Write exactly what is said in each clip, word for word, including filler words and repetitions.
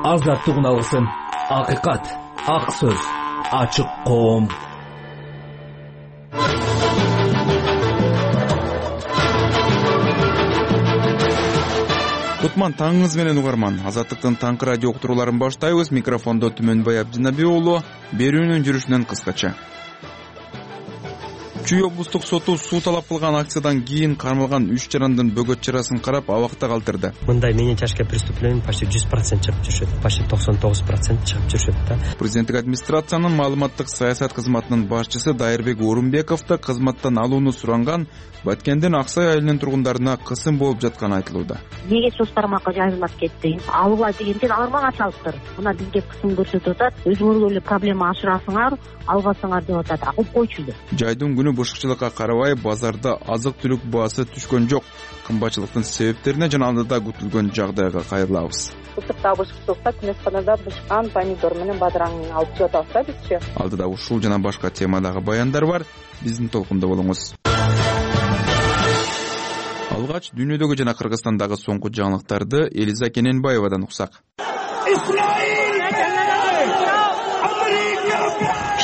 азаттык алсын. Акыйкат, ак сөз, ачык коом. Кутман таңыңыз менен угарман. Азаттыктын таңкы радио уктурууларын баштайбыз. Микрофондо Түмөнбай Абдинаби уулу. Берүүнүн жүрүшүнөн кыскача. Чүй облустук соту суу талап кылган акциядан кийин кармалган үч жарандын бөгөт чарасын карап абакта калтырды. Мындай менен чачка преступление почти жүз процент чыгып жүрүшөт. Почти токсон тогуз процент чыгып жүрүшөт да. Президенттик администрациянын маалыматтык саясат кызматынын башчысы Дайырбек Орунбековду кызматтан алууну суранган Баткендин Аксай айылынын тургундарына кысым болуп жатканы айтылууда. Неге соц тармакка жайылып кетти? Алгыла дегенден алар мага чалыптыр. Мына бизге кысым көрсөтүп атат. Өзүңөр эле проблема ашырасыңар, албасыңар деп атат. Акып койчу деп. Жайдын күнү бушукчулукка карабай базарда азык-түлүк баасы түшкөн жок. Кымбатчылыктын себептерине жана алдыда күтүлгөн жагдайга кайрылабыз. Ысыкта бышыктыкта күнөсканада бышкан помидор менен бадыраңды алып чыгып атабыз да бизчи. Алдыда ушул жана башка темадагы баяндар бар. Биздин толкунда болуңуз. Алгач дүйнөдөгү жана Кыргызстандагы соңку жаңылыктарды Элиза Кененбаевадан уксак.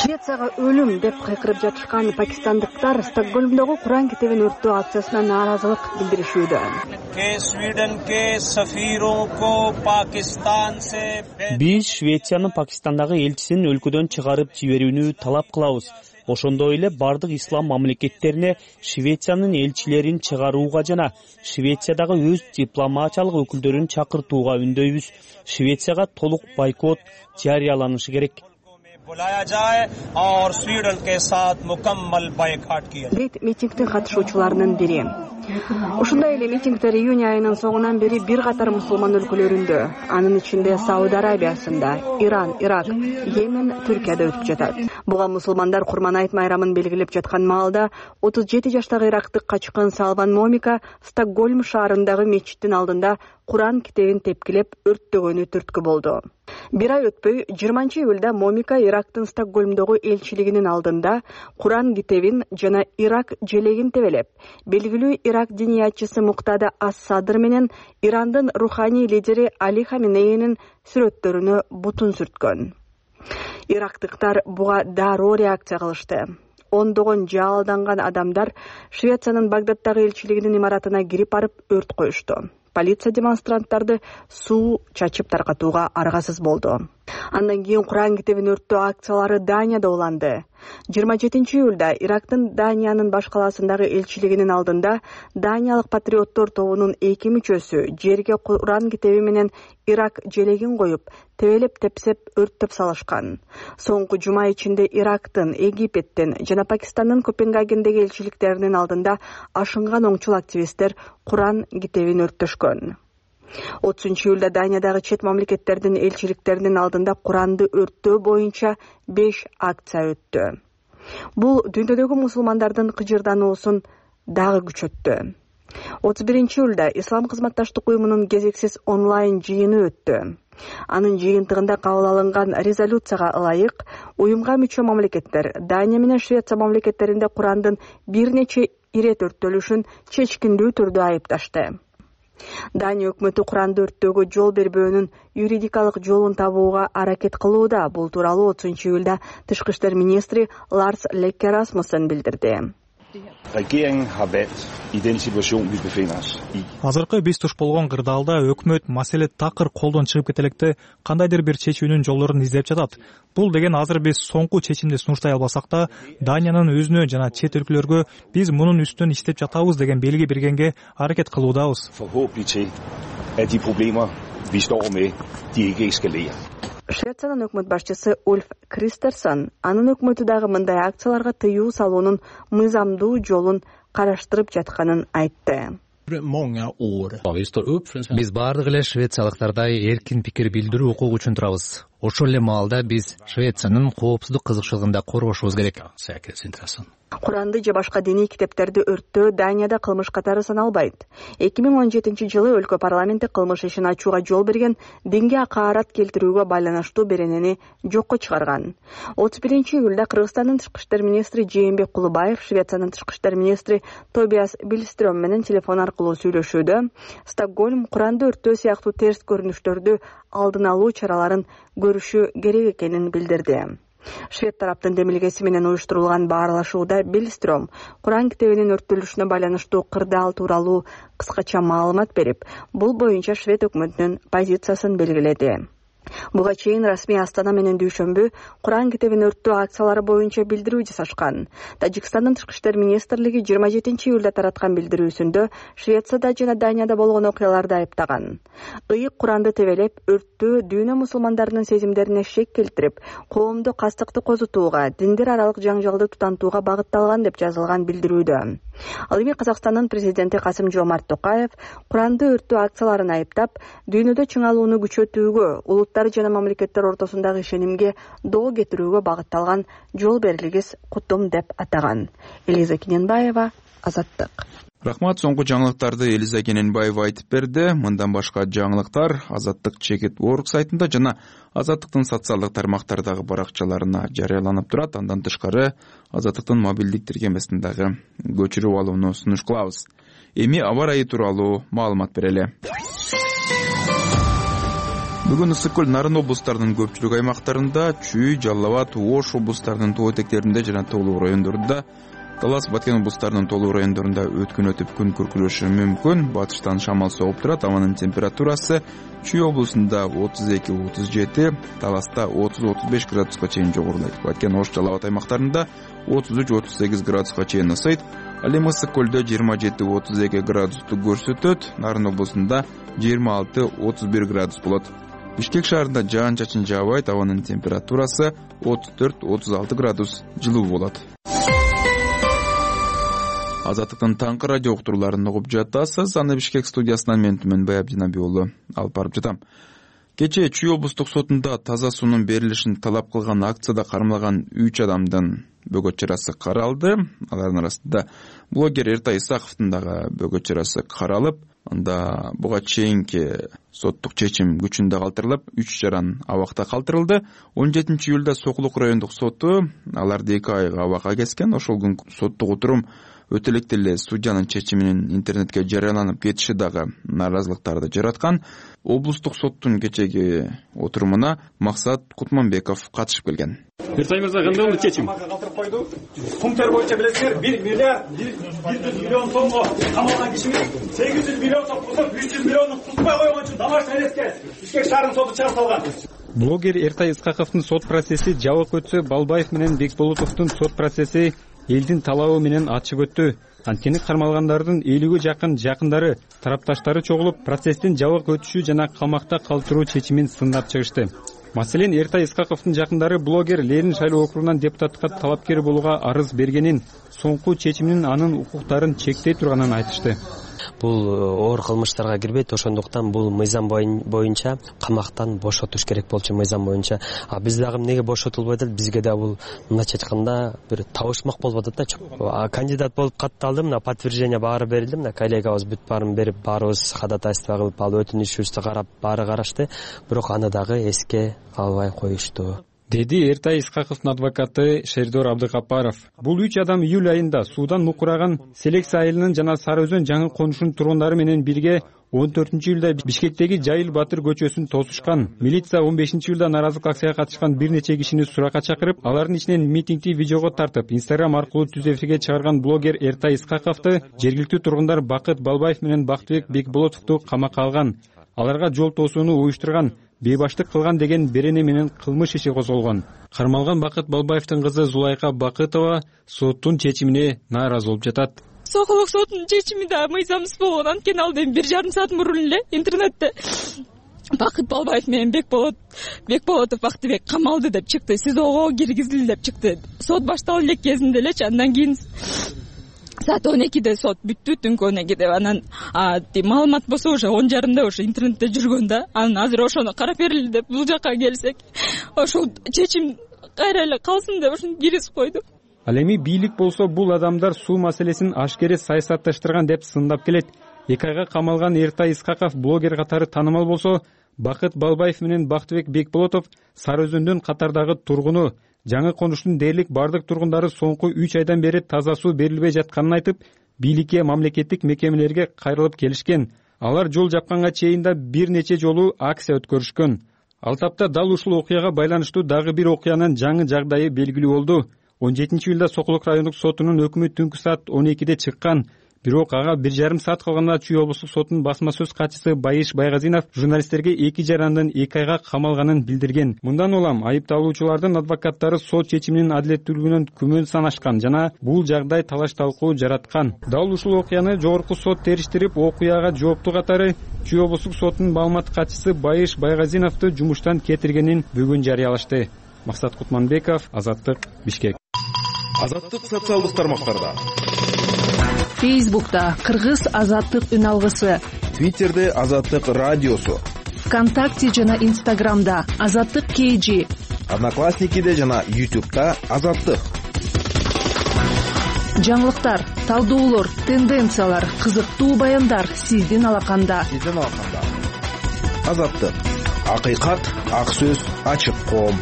Швецияга өлүм деп кайкырып жатышкан пакистандыктар Стокгольмдогу Куран китебин өрттөө акциясына нааразылык билдиришүүдө. Биз Швециянын Пакистандагы элчисин өлкөдөн чыгарып жиберүүнү талап кылабыз. Ошондой эле бардык ислам мамлекеттерине Швециянын элчилерин чыгарууга жана Швециядагы өз дипломатиялык өкүлдөрүн чакыртууга үндөйбүз. Швецияга толук бойкот жарыяланышы керек. Дейт митингдин катышуучуларынын бири. Ушундай эле митингдер июнь айынын соңунан бери бир катар мусулман өлкөлөрүндө, анын ичинде Сауд Арабиясында, Иран, Ирак, Йемен, Түркияда өтүп жатат. Буга мусулмандар Курман айт майрамын белгилеп жаткан маалда отуз жети жаштагы ирактык качкын Салван Момика Стокгольм шаарындагы мечиттин алдында Куран китебин тепкилеп өрттөгөнү түрткү болду. Бир ай өтпөй жыйырманчы июлда Момика Ирактын Стокгольмдогу элчилигинин алдында Куран китебин жана Ирак желегин тебелеп, белгилүү Ирак диниятчысы Муктада Ас-Садр менен Ирандын руханий лидери Али Хаминейнин сүрөттөрүнө бутун сүрткөн. Ирактыктар буга дароо реакция кылышты. Ондогон жалданган адамдар Швециянын Багдаддагы элчилигинин имаратына кирип барып өрт коюшту. Полиция демонстранттарды суу чачып таркатууга аргасыз болду. Андан кийин Куран китебин өрттөө акциялары Данияда уланды. жыйырма жетинчи июлда Ирактын Даниянын баш калаасындагы элчилигинин алдында Даниялык патриоттор тобунун эки мүчөсү жерге Куран китеби менен Ирак желегин коюп, тебелеп тепсеп өрттөп салышкан. Соңку жума ичинде Ирактын, Египеттин жана Пакистандын Копенгагендеги элчиликтеринин алдында ашынган оңчул активисттер Куран китебин өрттөшкөн. отузунчу июлда Даниядагы чет мамлекеттердин элчиликтеринин алдында Куранды өрттөө боюнча беш акция өттү. Бул дүйнөдөгү мусулмандардын кыжырдануусун дагы күчөттү. отуз биринчи июлда Ислам кызматташтык уюмунун кезексиз онлайн жыйыны өттү. Анын жыйынтыгында кабыл алынган резолюцияга ылайык уюмга мүчө мамлекеттер Дания менен Швеция мамлекеттеринде Курандын бир нече ирет өрттөлүшүн чечкиндүү түрдө айыпташты. Дания өкмөтү Куранды өрттөөгө жол бербөөнүн юридикалык жолун табууга аракет кылууда. Бул тууралуу отузунчу июлда тышкы иштер министри Ларс Løkke Rasmussen билдирди. Азыркы биз туш болгон кырдаалда өкмөт маселе такыр колдон чыгып кетелекте кандайдыр бир чечүүнүн жолдорун издеп жатат. Бул деген азыр биз соңку чечимди сунуштай албасак да, Даниянын өзүнө жана чет өлкөлөргө биз мунун үстүнөн иштеп жатабыз деген белги бергенге аракет кылуудабыз. Швециянын өкмөт башчысы Ульф Кристерсон анын өкмөтү дагы мындай акцияларга тыюу салуунун мыйзамдуу жолун караштырып жатканын айтты. Биз бардык эле швециялыктардай эркин пикир билдирүү укугу үчүн турабыз. Ошол эле маалда биз Швециянын коопсуздук кызыкчылыгын да коргошубуз керек. Куранды же башка диний китептерди өрттөө Данияда кылмыш катары саналбайт. эки миң он жетинчи жылы өлкө парламенти кылмыш ишин ачууга жол берген динге акаарат келтирүүгө байланыштуу беренени жокко чыгарган. отуз биринчи июлда Кыргызстандын тышкы иштер министри Жээнбек Кулубаев Швециянын тышкы иштер министри Тобиас Биллстрём менен телефон аркылуу сүйлөшүүдө Стокгольм Куранды өрттөө сыяктуу терс көрүнүштөрдү алдын алуу чараларын көрүшү керек экенин билдирди. Швед тараптын демилгеси менен уюштурулган баарлашууда Биллстрём Куран китебинин өрттөлүшүнө байланыштуу кырдаал тууралуу кыскача маалымат берип, бул боюнча Швед өкмөтүнүн позициясын белгиледи. Буга чейин расмий Астана менен Дүйшөмбү Куран китебин өрттөө акциялары боюнча билдирүү жасашкан. Тажикстандын тышкы иштер министрлиги жыйырма жетинчи июлда тараткан билдирүүсүндө Швецияда жана Данияда болгон окуяларды айыптаган. Ыйык Куранды тебелеп, өрттөө дүйнө мусулмандарынын сезимдерине шек келтирип, коомду кастыкты козутууга, диндер аралык жаңжалды тутантууга багытталган деп жазылган билдирүүдө. Ал эми Казакстандын президенти Касым Жомарт Токаев Куранды өрттөө акцияларын айыптап, дүйнөдө чыңалууну күчөтүүгө, улуттар жана мамлекеттер ортосундагы ишенимге доо кетирүүгө багытталган жол берилгис кутум деп атаган. Элиза Кененбаева, Азаттык. Рахмат, соңку жаңылыктарды Элиза Кененбаева айтып берди. Мындан башка жаңылыктар Азаттык чекит точка орг сайтында жана Азаттыктын социалдык тармактардагы баракчаларына жарыяланып турат. Андан тышкары Азаттыктын мобилдик тиркемесиндагы көчүрүп алууну сунуш кылабыз. Эми аба ырайы тууралуу маалымат берели. Бүгүн Ысык көл, Нарын облустарынын көпчүлүк аймактарында, Чүй, Жалал Абад, Ош облустарынын тоо этектеринде жана Тоолуу райондорунда, Талас, Баткен облустарынын Тоолуу райондорунда өткүнөтүп күн күркүрөшү мүмкүн. Батыштан шамал согуп турат. Абанын температурасы Чүй облусунда отуз эки отуз жети, Таласта отуз отуз беш градуска чейин жогорулайт. Баткен, Ош, Жалал Абад аймактарында отуз үч отуз сегиз градуска чейин ысыйт. Ал эми Ысык көлдө жыйырма жети отуз эки градусту көрсөтөт. Нарын облусунда жыйырма алты отуз бир градус болот. Бишкек шаарында жаан-чачын жаабайт. Абанын температурасы отуз төрт отуз алты градус жылуу болот. Азаттыктын таңкы радио уктурууларын угуп жатасыз. Аны Бишкек студиясынан мен Түмөнбай Абдинабий уулу алып барып жатам. Кечээ Чүй облустук сотунда таза суунун берилишин талап кылган акцияда кармалган үч адамдын бөгөт чарасы каралды. Алардын арасында блогер Эртай Исаковдун дагы бөгөт чарасы каралып, анда буга чейинки соттук чечим күчүндө калтырылып, үч жаран абакта калтырылды. он жетинчи июлда Сокулук райондук соту аларды эки айга абакка кескен. Ошол күн соттук отурум өтө элек эле судьянын чечиминин интернетке жарыяланып кетиши дагы нааразылыктарды жараткан. Облустук соттун кечеги отурумуна Максат Кутманбеков катышып келген. Эртай мырза, кандай болду чечим? Пункттер боюнча билесиңер, бир миллиард бир жүз миллион сомго камалган кишиңиз сегиз жүз миллион сом тутуп, үч жүз миллионду тутпай койгон үчүн домашний арестке Бишкек шаарынын соду чыгарып салган. Блогер Эртай Исаковдун сот процесси жабык өтсө, Балбаев менен Бекболотовдун сот процесси элдин талабы менен ачык өттү. Анткени кармалгандардын элүүгө жакын жакындары, тарапташтары чогулуп, процесстин жабык өтүшү жана камакта калтыруу чечимин сындап чыгышты. Маселен, Эртай Исаковдун жакындары блогер Ленин шайлоо округунан депутатка талапкер болууга арыз бергенин, соңку чечиминин анын укуктарын чектей турганын айтышты. Бул оор кылмыштарга кирбейт, ошондуктан бул мыйзам боюнча камактан бошотуш керек болчу мыйзам боюнча. А биз дагы эмнеге бошотулбайт эле? Бизге да бул мындайча айтканда бир табышмак болуп атат да. Кандидат болуп катталдым, мына подтверждение баары берилди, мына коллегабыз бүт баарын берип, баарыбыз ходатайство кылып, ал өтүнүшүбүздү карап, баары карашты. Бирок аны дагы эске албай коюшту, деди Эртай Исаковдун адвокаты Шердор Абдыкапаров. Бул үч адам июль айында суудан мукураган Селекс айылынын жана Сары Өзөн жаңы конушунун тургундары менен бирге он төртүнчү июлда Бишкектеги Жайыл Батыр көчөсүн тосушкан. Милиция он бешинчи июлда нааразылык акцияга катышкан бир нече кишини суракка чакырып, алардын ичинен митингди видеого тартып, Instagram аркылуу түз эфирге чыгарган блогер Эртай Исаковду жергиликтүү тургундар Бакыт Балбаев менен Бактыбек Бекболотовду камакка алган. Аларга жол тосууну уюштурган, бейбаштык кылган деген берене менен кылмыш иши козголгон. Кармалган Бакыт Балбаевдин кызы Зулайка Бакытова соттун чечимине нааразы болуп жатат. Сокулук сотунун чечими да мыйзамсыз болгон. Анткени ал эми бир жарым саат мурун эле интернетте Бакыт Балбаев менен Бекболот Бекболотов Бактыбек камалды деп чыкты, СИЗОго киргизилди деп чыкты. Сот башталып элек кезинде элечи, андан кийин саат он экиде сот бүттү, түнкү он экиде. Анан маалымат болсо уже он жарымда уже интернетте жүргөн да. Анан азыр ошону карап берили деп бул жака келсек, ошол чечим кайра эле калсын деп ошону киргизип койду. Ал эми бийлик болсо бул адамдар суу маселесин ашкере саясатташтырган деп сындап келет. Эки айга камалган Эртай Исхаков блогер катары таанымал болсо, Бакыт Балбаев менен Бактыбек Бекболотов Сары Өзөндүн катардагы тургуну. Жаңы конуштун дээрлик бардык тургундары соңку үч айдан бери таза суу берилбей жатканын айтып, бийликке, мамлекеттик мекемелерге кайрылып келишкен. Алар жол жапканга чейин да бир нече жолу акция өткөрүшкөн. Ал тапта дал ушул окуяга байланыштуу дагы бир окуянын жаңы жагдайы белгилүү болду. он жетинчи июлда Сокулук райондук сотунун өкүмү түнкү саат он экиде чыккан. Бирок ага бир жарым саат калганда Чүй облустук сотунун басма сөз катчысы Байыш Байгазинов журналисттерге эки жарандын эки айга камалганын билдирген. Мындан улам айыпталуучулардын адвокаттары сот чечиминин адилеттүүлүгүнөн күмөн санашкан жана бул жагдай талаш талкуу жараткан. Дал ушул окуяны жогорку сот териштирип, окуяга жооптуу катары Чүй облустук сотунун маалымат катчысы Байыш Байгазиновду жумуштан кетиргенин бүгүн жарыялашты. Максат Кутманбеков, Азаттык, Бишкек. Азаттык социалдык тармактарда. Фейсбукта Кыргыз Азаттык үн алгысы, Твиттерде Азаттык радиосу, ВКонтакте жана Инстаграмда Азаттык кей джи, Одноклассникиде жана Ютубта Азаттык. Жаңылыктар, талдоолор, тенденциялар, кызыктуу баяндар сиздин алаканда. Сиздин алаканда. Азаттык. Акыйкат, ак сөз, ачык коом.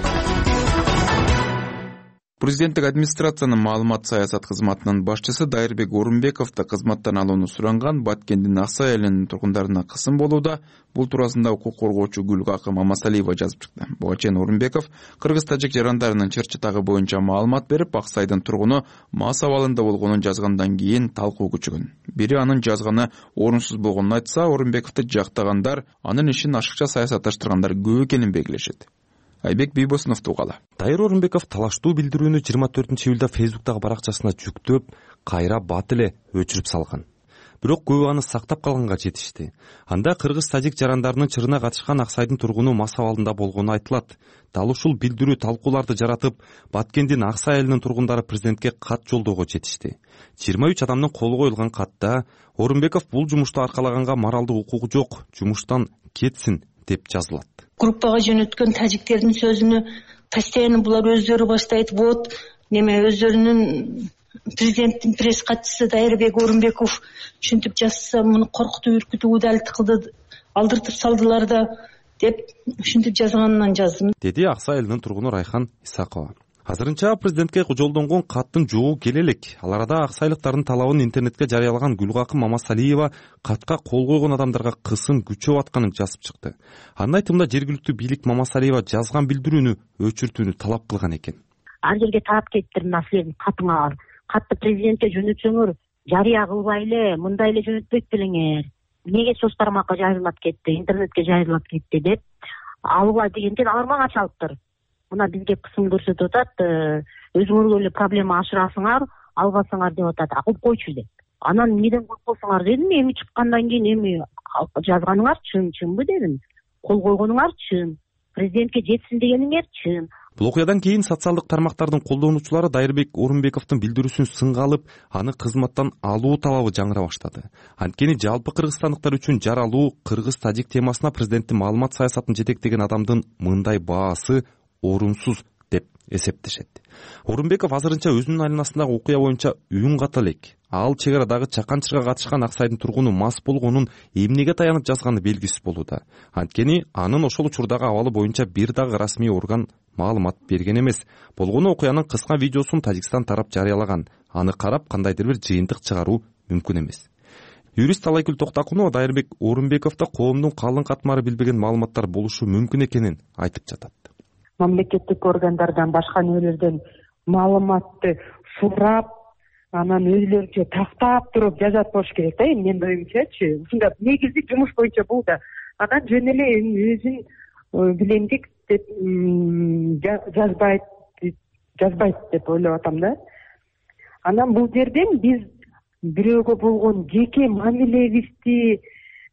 Президенттик администрациянын маалымат саясат кызматынын башчысы Дайырбек Орунбековду кызматтан алууну суранган Баткендин Аксай айылынын тургундарына кысым болууда. Бул туурасында укук коргоочу Гүлгакы Мамасалиева жазып чыкты. Буга чейин Орунбеков кыргыз-тажик жарандарынын чыр-чытагы боюнча маалымат берип, Аксайдын тургуну мас абалында болгонун жазгандан кийин талкуу күчөгөн. Бири анын жазганы орунсуз болгонун айтса, Орунбековду жактагандар анын ишин ашыкча саясатташтыргандар көп экенин белгилешет. Айбек Бийбосунов тугала. Дайыр Орунбеков талаштуу билдирүүнү жыйырма төртүнчү июлда Фейсбуктагы баракчасына жүктөп, кайра бат эле өчүрүп салган. Бирок көбү аны сактап калганга жетишти. Анда кыргыз-тажик жарандарынын чырына катышкан Аксайдын тургуну мас абалында болгону айтылат. Дал ушул билдирүү талкууларды жаратып, Баткендин Аксай айылынын тургундары президентке кат жолдоого жетишти. жыйырма үч адамдын колу коюлган катта Орунбеков бул жумушту аркалаганга моралдык укугу жок, жумуштан кетсин деп жазылат. Группага жөнөткөн тажиктердин сөзүнө постоянно булар өздөрү баштайт. Вот неме өздөрүнүн президенттин пресс катчысы Дайырбек Орунбеков ушинтип жазса, муну коркутуп үркүтүп удалит кылды, алдыртып салдылар да деп ушинтип жазганынан жаздым, деди Аксай айылынын тургуну Райхан Исакова. Азырынча президентке жолдонгон каттын жоо келе элек. Ал арада аксайлыктардын талабын интернетке жарыялаган Гүлгакы Мамасалиева катка кол койгон адамдарга кысым күчөп атканын жазып чыкты. Анын айтымында жергиликтүү бийлик Мамасалиева жазган билдирүүнү өчүртүүнү талап кылган экен. Ар жерге тарап кетиптир мына силердин катыңар. Катты президентке жөнөтсөңөр жарыя кылбай эле, мындай эле жөнөтпөйт белеңер. Эмнеге соц тармакка жайылып кетти, интернетке жайылып кетти деп алгыла дегенден алар мага чалыптыр. Мына бизге кысым көрсөтүп атат, өзүңөр эле проблема ашырасыңар, албасаңар деп атат. Акып койчу деп. Анан эмнеден коркосуңар дедим, эми чыккандан кийин эми жазганыңар чын, чынбы дедим. Кол койгонуңар чын. Президентке жетсин дегениңер чын. Бул окуядан кийин социалдык тармактардын колдонуучулары Дайырбек Орунбековдун билдирүүсүн сынга алып, аны кызматтан алуу талабы жаңыра баштады. Анткени жалпы кыргызстандыктар үчүн жаралуу кыргыз-тажик темасына президенттин маалымат саясатын жетектеген адамдын мындай баасы орунсуз деп эсептешет. Орунбеков азырынча өзүнүн айланасындагы окуя боюнча үн ката элек. Ал чек арадагы чаканчырга катышкан Аксайдын тургуну мас болгонун эмнеге таянып жазганы белгисиз болууда. Анткени анын ошол учурдагы абалы боюнча бир дагы расмий орган маалымат берген эмес. Болгону окуянын кыска видеосун Тажикстан тарап жарыялаган. Аны карап кандайдыр бир жыйынтык чыгаруу мүмкүн эмес. Юрист Талайкүл Токтакунова Дайырбек Орунбековдо коомдун калың катмары билбеген маалыматтар болушу мүмкүн экенин айтып жатат. Мамлекеттик органдардан, башка нелерден маалыматты сурап, анан өзүлөрүнчө тактап туруп жазат болуш керек да, менин оюмчачы. Ушунда негизи жумуш боюнча бул да. Анан жөн эле өзүн билемдик деп жазбайт, жазбайт деп ойлоп атам да. Анан бул жерден биз бирөөгө болгон жеке мамилебизди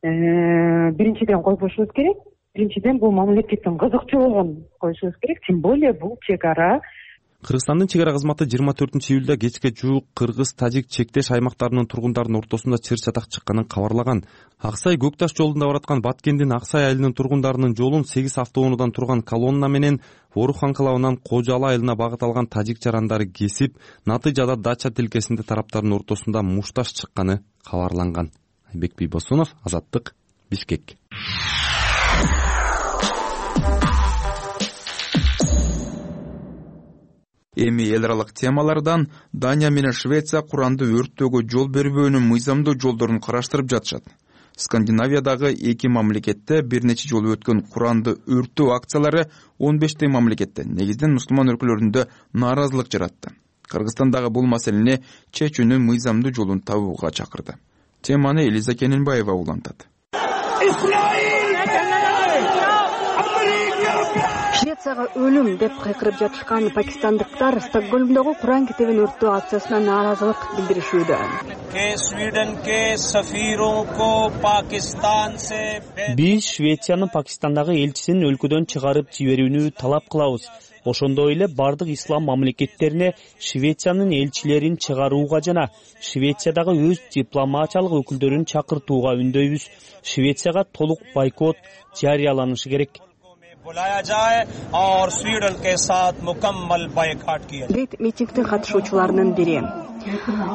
биринчиден койбошубуз керек. Биринчиден бул мамлекеттин кызыкчу болгон коюшубуз керек. Тем более бул чек ара Кыргызстандын чек ара кызматы жыйырма төртүнчү июлда кечке жуук кыргыз-тажик чектеш аймактарынын тургундарынын ортосунда чыр чатак чыкканын кабарлаган. Аксай Көк Таш жолунда бараткан Баткендин Аксай айылынын тургундарынын жолун сегиз автоунуудан турган колонна менен Орух анклавынан Кожалы айылына багыт алган тажик жарандары кесип, натыйжада Дача тилкесинде тараптардын ортосунда мушташ чыкканы кабарланган. Айбек Бийбосунов, Азаттык, Бишкек. Эми эл аралык темалардан Дания менен Швеция Куранды өрттөөгө жол бербөөнүн мыйзамдуу жолдорун караштырып жатышат. Скандинавиядагы эки мамлекетте бир нече жолу өткөн Куранды өрттөө акциялары он бештей мамлекетте, негизинен мусулман өлкөлөрүндө нааразылык жаратты. Кыргызстандагы бул маселени чечүүнүн мыйзамдуу жолун табууга чакырды. Теманы Элиза Кененбаева улантат. Швецияга өлүм деп кыйкырып жатышкан пакистандыктар Стокгольмдогу Куран китебин өрттөө акциясына нааразылык билдиришүүдө. Биз Швециянын Пакистандагы элчисин өлкөдөн чыгарып жиберүүнү талап кылабыз. Ошондой эле бардык ислам мамлекеттерине Швециянын элчилерин чыгарууга жана Швециядагы өз дипломатиялык өкүлдөрүн чакыртууга үндөйбүз. Швецияга толук бойкот жарыяланышы керек. Дейт митингдин катышуучуларынын бири.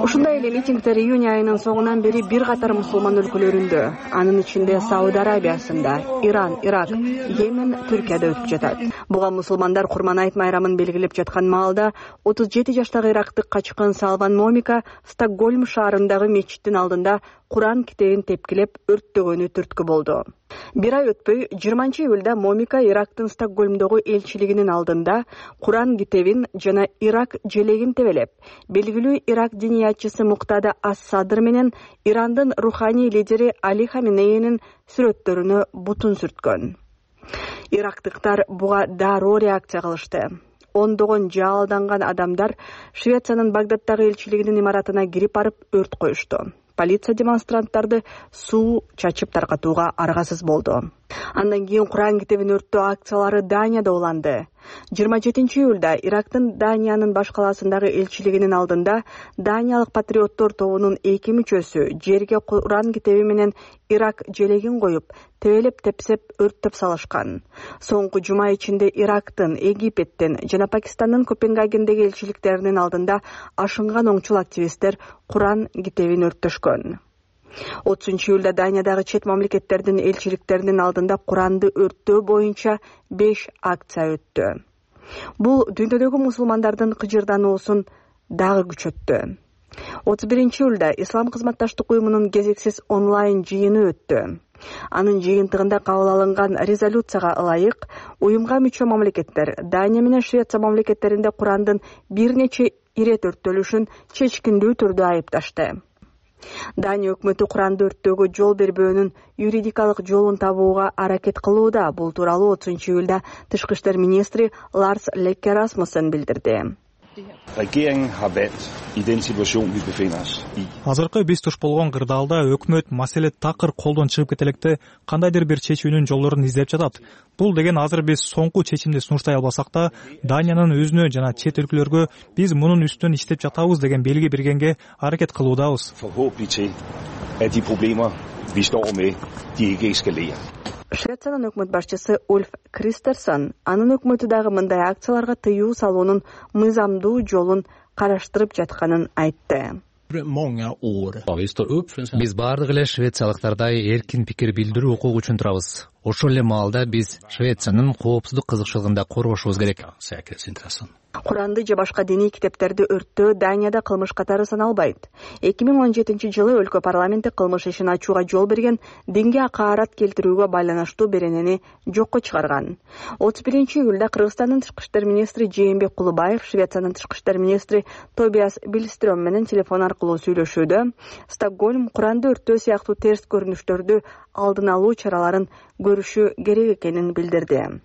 Ушундай эле митингдер июнь айынын соңунан бери бир катар мусулман өлкөлөрүндө, анын ичинде Сауд Арабиясында, Иран, Ирак, Йемен, Түркияда өтүп жатат. Буга мусулмандар Курман айт майрамын белгилеп жаткан маалда отуз жети жаштагы ирактык качкын Салван Момика Стокгольм шаарындагы мечиттин алдында Куран китебин тепкилеп өрттөгөнү түрткү болду. Бир ай өтпөй жыйырманчы июлда Момика Ирактын Стокгольмдогу элчилигинин алдында Куран китебин жана Ирак желегин тебелеп, белгилүү Ирак диниятчысы Муктада Ас-Садр менен Ирандын руханий лидери Али Хаминейнин сүрөттөрүнө бутун сүрткөн. Ирактыктар буга дароо реакция кылышты. Ондогон жалданган адамдар Швециянын Багдаддагы элчилигинин имаратына кирип барып өрт коюшту. Полиция демонстранттарды суу чачып таркатууга аргасыз болду. Андан кийин Куран китебин өрттөө акциялары Данияда уланды. жыйырма жетинчи июлда Ирактын Даниянын баш калаасындагы элчилигинин алдында Даниялык патриоттор тобунун эки мүчөсү жерге Куран китеби менен Ирак желегин коюп, тебелеп тепсеп өрттөп салышкан. Соңку жума ичинде Ирактын, Египеттин жана Пакистандын Копенгагендеги элчиликтеринин алдында ашынган оңчул активисттер Куран китебин өрттөшкөн. отузунчу июлда Даниядагы чет мамлекеттердин элчиликтеринин алдында Куранды өрттөө боюнча беш акция өттү. Бул дүйнөдөгү мусулмандардын кыжырдануусун дагы күчөттү. отуз биринчи июлда Ислам кызматташтык уюмунун кезексиз онлайн жыйыны өттү. Анын жыйынтыгында кабыл алынган резолюцияга ылайык уюмга мүчө мамлекеттер Дания менен Швеция мамлекеттеринде Курандын бир нече ирет өрттөлүшүн чечкиндүү түрдө айыпташты. Дания өкмөтү Куранды өрттөөгө жол бербөөнүн юридикалык жолун табууга аракет кылууда. Бул тууралуу отузунчу июлда тышкы иштер министри Ларс Løkke Rasmussen билдирди. Азыркы биз туш болгон кырдаалда өкмөт маселе такыр колдон чыгып кете электе кандайдыр бир чечүүнүн жолдорун издеп жатат. Бул деген азыр биз соңку чечимди сунуштай албасак да, Даниянын өзүнө жана чет өлкөлөргө биз мунун үстүнөн иштеп жатабыз деген белги бергенге аракет кылуудабыз. Швециянын өкмөт башчысы Ульф Кристерсон анын өкмөтү дагы мындай акцияларга тыюу салуунун мыйзамдуу жолун караштырып жатканын айтты. Биз баардык эле швециялыктардай эркин пикир билдирүү укугу үчүн турабыз. Ошол эле маалда биз Швециянын коопсуздук кызыкчылыгын да коргошубуз керек. Куранды же башка диний китептерди өрттөө Данияда кылмыш катары саналбайт. эки миң он жетинчи жылы өлкө парламенти кылмыш ишин ачууга жол берген динге акаарат келтирүүгө байланыштуу беренени жокко чыгарган. отуз биринчи июлда Кыргызстандын тышкы иштер министри Жээнбек Кулубаев Швециянын тышкы иштер министри Тобиас Биллстрöm менен телефон аркылуу сүйлөшүүдө Стокгольм Куранды өрттөө сыяктуу терс көрүнүштөрдү алдын алуу чараларын көрүшү керек экенин билдирди.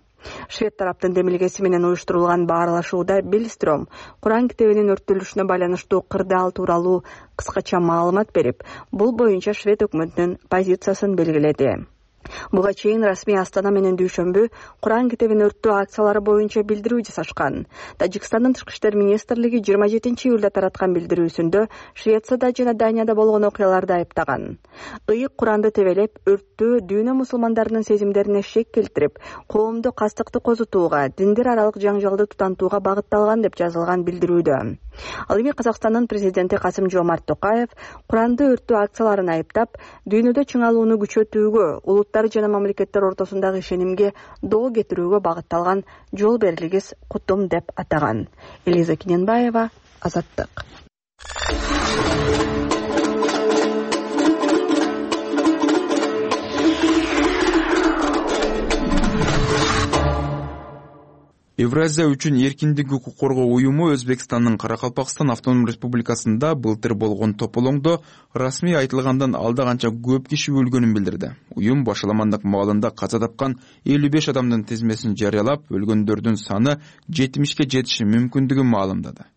Швед тараптын демилгеси менен уюштурулган баарлашууда Биллстрöm Куран китебинин өрттөлүшүнө байланыштуу кырдаал тууралуу кыскача маалымат берип, бул боюнча Швед өкмөтүнүн позициясын белгиледи. Буга чейин расмий Астана менен Дүйшөмбү Куран китебин өрттөө акциялары боюнча билдирүү жасашкан. Тажикстандын тышкы иштер министрлиги жыйырма жетинчи июлда тараткан билдирүүсүндө Швецияда жана Данияда болгон окуяларды айыптаган. Ыйык Куранды тебелеп, өрттөө дүйнө мусулмандарынын сезимдерине шек келтирип, коомду кастыкты козутууга, диндер аралык жаңжалды тутантууга багытталган деп жазылган билдирүүдө. Ал эми Казакстандын президенти Касым-Жомарт Токаев Куранды өрттөө акцияларын айыптап, дүйнөдө чыңалууну күчөтүүгө, улуттар жана мамлекеттер ортосундагы ишенимге доо кетирүүгө багытталган жол берилгис кутум деп атаган. Элиза Киненбаева, Азаттык. Евразия үчүн эркиндик укук коргоо уюму Өзбекстандын Каракалпакстан автономдук республикасында былтыр болгон тополоңдо расмий айтылгандан алда канча көп киши өлгөнүн билдирди. Уюм башаламандык маалында каза тапкан элүү беш адамдын тизмесин жарыялап, өлгөндөрдүн саны жетимишке жетиши мүмкүндүгүн маалымдады.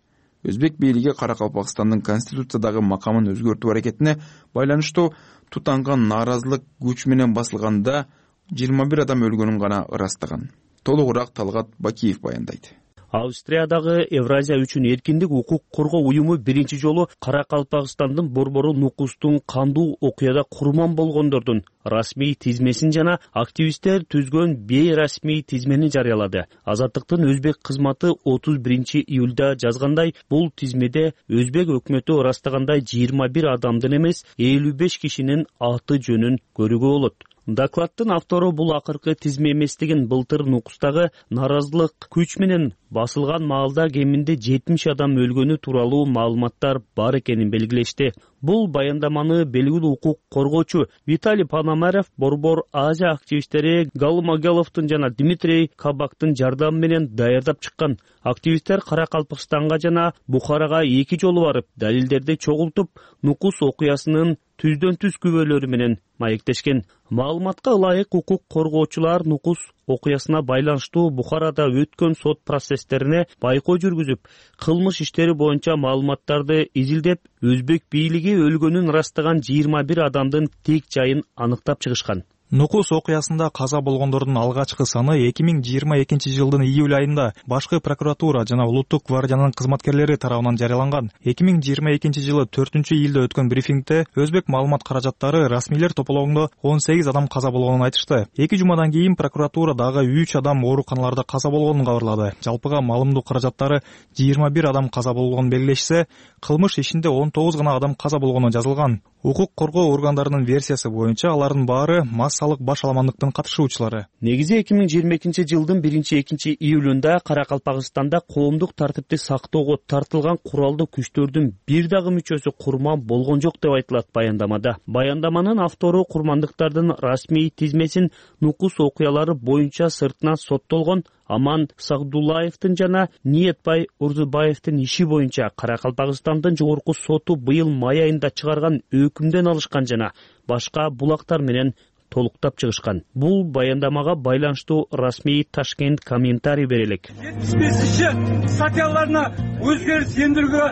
Өзбек бийлиги Каракалпакстандын конституциядагы макамын өзгөртүү аракетине байланыштуу тутанган нааразылык күч менен басылганда жыйырма бир адам өлгөнүн гана ырастаган. Толугураак Талгат Бакиев баяндайт. Австриядагы Евразия үчүн эркиндик укук коргоо уюму биринчи жолу Каракалпакстандын борбору Нукустун кандуу окуяда курман болгондордун расмий тизмесин жана активисттер түзгөн бейрасмий тизмени жарыялады. Азаттыктын өзбек кызматы отуз биринчи июлда жазгандай, бул тизмеде өзбек өкмөтү ырастагандай жыйырма бир адамдын эмес, элүү беш кишинин аты жөнүн көрүүгө болот. Докладтын автору бул акыркы тизме эместигин, былтыр Нукустагы нааразылык күч менен басылган маалда кеминде жетимиш адам өлгөнү тууралуу маалыматтар бар экенин белгилешти. Бул баяндаманы белгилүү укук коргоочу Виталий Пономарев, Борбор Азия активисттери Галым Агаловдун жана Дмитрий Кабактын жардамы менен даярдап чыккан. Активисттер Каракалпакстанга жана Бухарага эки жолу барып, далилдерди чогултуп, Нукус окуясынын түздөн түз күбөлөрү менен маектешкен. Маалыматка ылайык укук коргоочулар Нукус окуясына байланыштуу Бухарада өткөн сот процесстерине байкоо жүргүзүп, кылмыш иштери боюнча маалыматтарды изилдеп, өзбек бийлиги өлгөнүн ырастаган жыйырма бир адамдын тек жайын аныктап чыгышкан. Нукус окуясында каза болгондордун алгачкы саны эки миң жыйырма экинчи жылдын июль айында башкы прокуратура жана улуттук гвардиянын кызматкерлери тарабынан жарыяланган. эки миң жыйырма экинчи жылы төртүнчү июлда өткөн брифингде өзбек маалымат каражаттары расмийлер тополоңдо он сегиз адам каза болгонун айтышты. Эки жумадан кийин прокуратура дагы үч адам ооруканаларда каза болгонун кабарлады. Жалпыга маалымдоо каражаттары жыйырма бир адам каза болгонун белгилешсе, кылмыш ишинде он тогуз гана адам каза болгону жазылган. Укук коргоо органдарынын версиясы боюнча алардын баары массалык башаламандыктын катышуучулары. Негизи эки миң жыйырма экинчи жылдын биринчи экинчи июлунда Каракалпакстанда коомдук тартипти сактоого тартылган куралдуу күчтөрдүн бир дагы мүчөсү курман болгон жок деп айтылат баяндамада. Баяндаманын автору курмандыктардын расмий тизмесин Нукус окуялары боюнча сыртынан соттолгон Аман Сагдулаевдин жана Ниетбай Урзубаевдин иши боюнча Каракалпакстандын жогорку соту быйыл май айында чыгарган өкүмдөн алышкан жана башка булактар менен толуктап чыгышкан. Бул баяндамага байланыштуу расмий Ташкент комментарий бере элек. жетимиш бешинчи статьяларына өзгөрүш эндирүүгө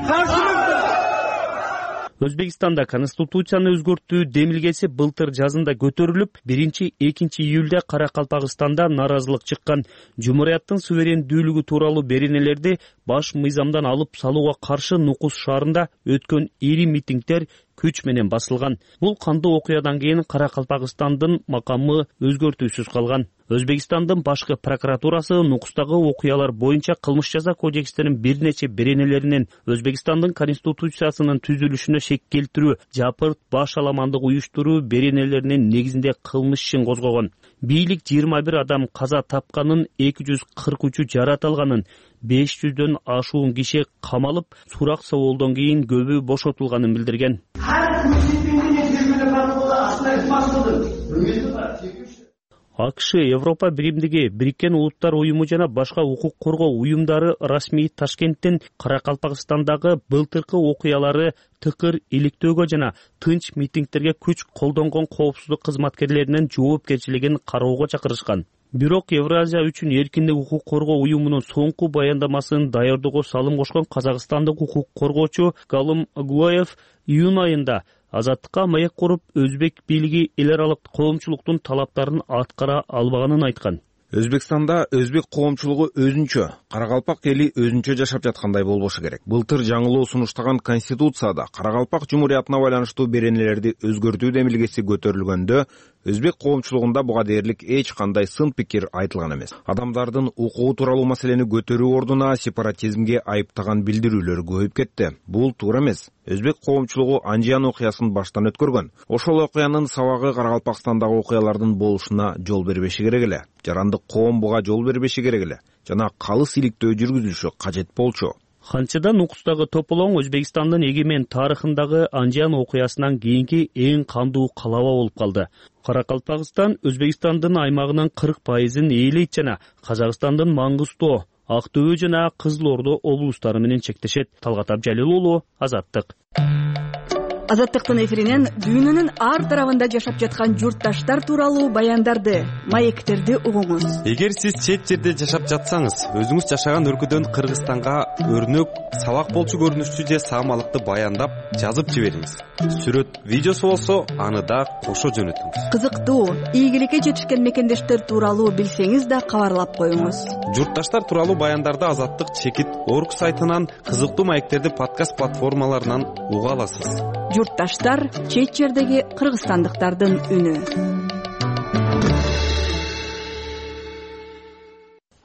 каршымыз. Өзбекстанда конституцияны өзгөртүү демилгеси былтыр жазында көтөрүлүп, биринчи экинчи июлда Каракалпакстанда нааразылык чыккан. Жумурияттын суверендүүлүгү тууралуу беренелерди баш мыйзамдан алып салууга каршы Нукус шаарында өткөн ири митингдер күч менен басылган. Бул кандуу окуядан кийин Каракалпакстандын макамы өзгөртүүсүз калган. Өзбекстандын башкы прокуратурасы Нукустагы окуялар боюнча кылмыш жаза кодекстеринин бир нече беренелеринен Өзбекстандын конституциясынын түзүлүшүнө шек келтирүү, жапырт башаламандык уюштуруу беренелеринин негизинде кылмыш ишин козгогон. Бийлик жыйырма бир адам каза тапканын, эки жүз кырк үчү жарат алганын, беш жүздөн ашуун киши камалып, сурак соолдон кийин көбү бошотулганын билдирген. АКШ, Европа Биримдиги, Бириккен Улуттар уюму жана башка укук коргоо уюмдары расмий Ташкенттин Каракалпакстандагы былтыркы окуялары тыкыр иликтөөгө жана тынч митингдерге күч колдонгон коопсуздук кызматкерлеринин жоопкерчилигин кароого чакырышкан. Бирок Евразия үчүн эркиндик укук коргоо уюмунун соңку баяндамасын даярдоого салым кошкон казакстандык укук коргоочу Галым Агуаев июнь айында Азаттыкка маек куруп, өзбек бийлиги эл аралык коомчулуктун талаптарын аткара албаганын айткан. Өзбекстанда өзбек коомчулугу өзүнчө, Каракалпак эли өзүнчө жашап жаткандай болбошу керек. Былтыр жаңылоо сунуштаган Конституцияда Каракалпак Жумуриятына байланыштуу беренелерди өзгөртүү демилгеси көтөрүлгөндө өзбек коомчулугунда буга дээрлик эч кандай сын пикир айтылган эмес. Адамдардын укугу тууралуу маселени көтөрүү ордуна сепаратизмге айыптаган билдирүүлөр көбөйүп кетти. Бул туура эмес. Өзбек коомчулугу Анжиян окуясын баштан өткөргөн. Ошол окуянын сабагы Каракалпакстандагы окуялардын болушуна жол бербеши керек эле. Жарандык коом буга жол бербеши керек эле жана калыс иликтөө жүргүзүлүшү кажет болчу. Ханчадан укустагы тополоң Өзбекстандын эгемен тарыхындагы Анжиян окуясынан кийинки эң кандуу калаба болуп калды. Каракалпакстан Өзбекстандын аймагынын кырк пайызын ээлейт жана Казакстандын Маңгыстоо, Актөбө жана Кызыл Ордо облустары менен чектешет. Талгат Абжалил уулу, Азаттык. Азаттыктын эфиринен дүйнөнүн ар тарабында жашап жаткан журтташтар тууралуу баяндарды, маектерди угуңуз. Эгер сиз чет жерде жашап жатсаңыз, өзүңүз жашаган өлкөдөн Кыргызстанга өрнөк, сабак болчу көрүнүшчү же саамалыкты баяндап жазып жибериңиз. Сүрөт, видеосу болсо, аны да кошо жөнөтүңүз. Кызыктуу, ийгиликке жетишкен мекендештер тууралуу билсеңиз да кабарлап коюңуз. Журтташтар тууралуу баяндарды Азаттык чекит орг сайтынан, кызыктуу маектерди подкаст платформаларынан уга аласыз. Журтташтар — чет жердеги кыргызстандыктардын үнү.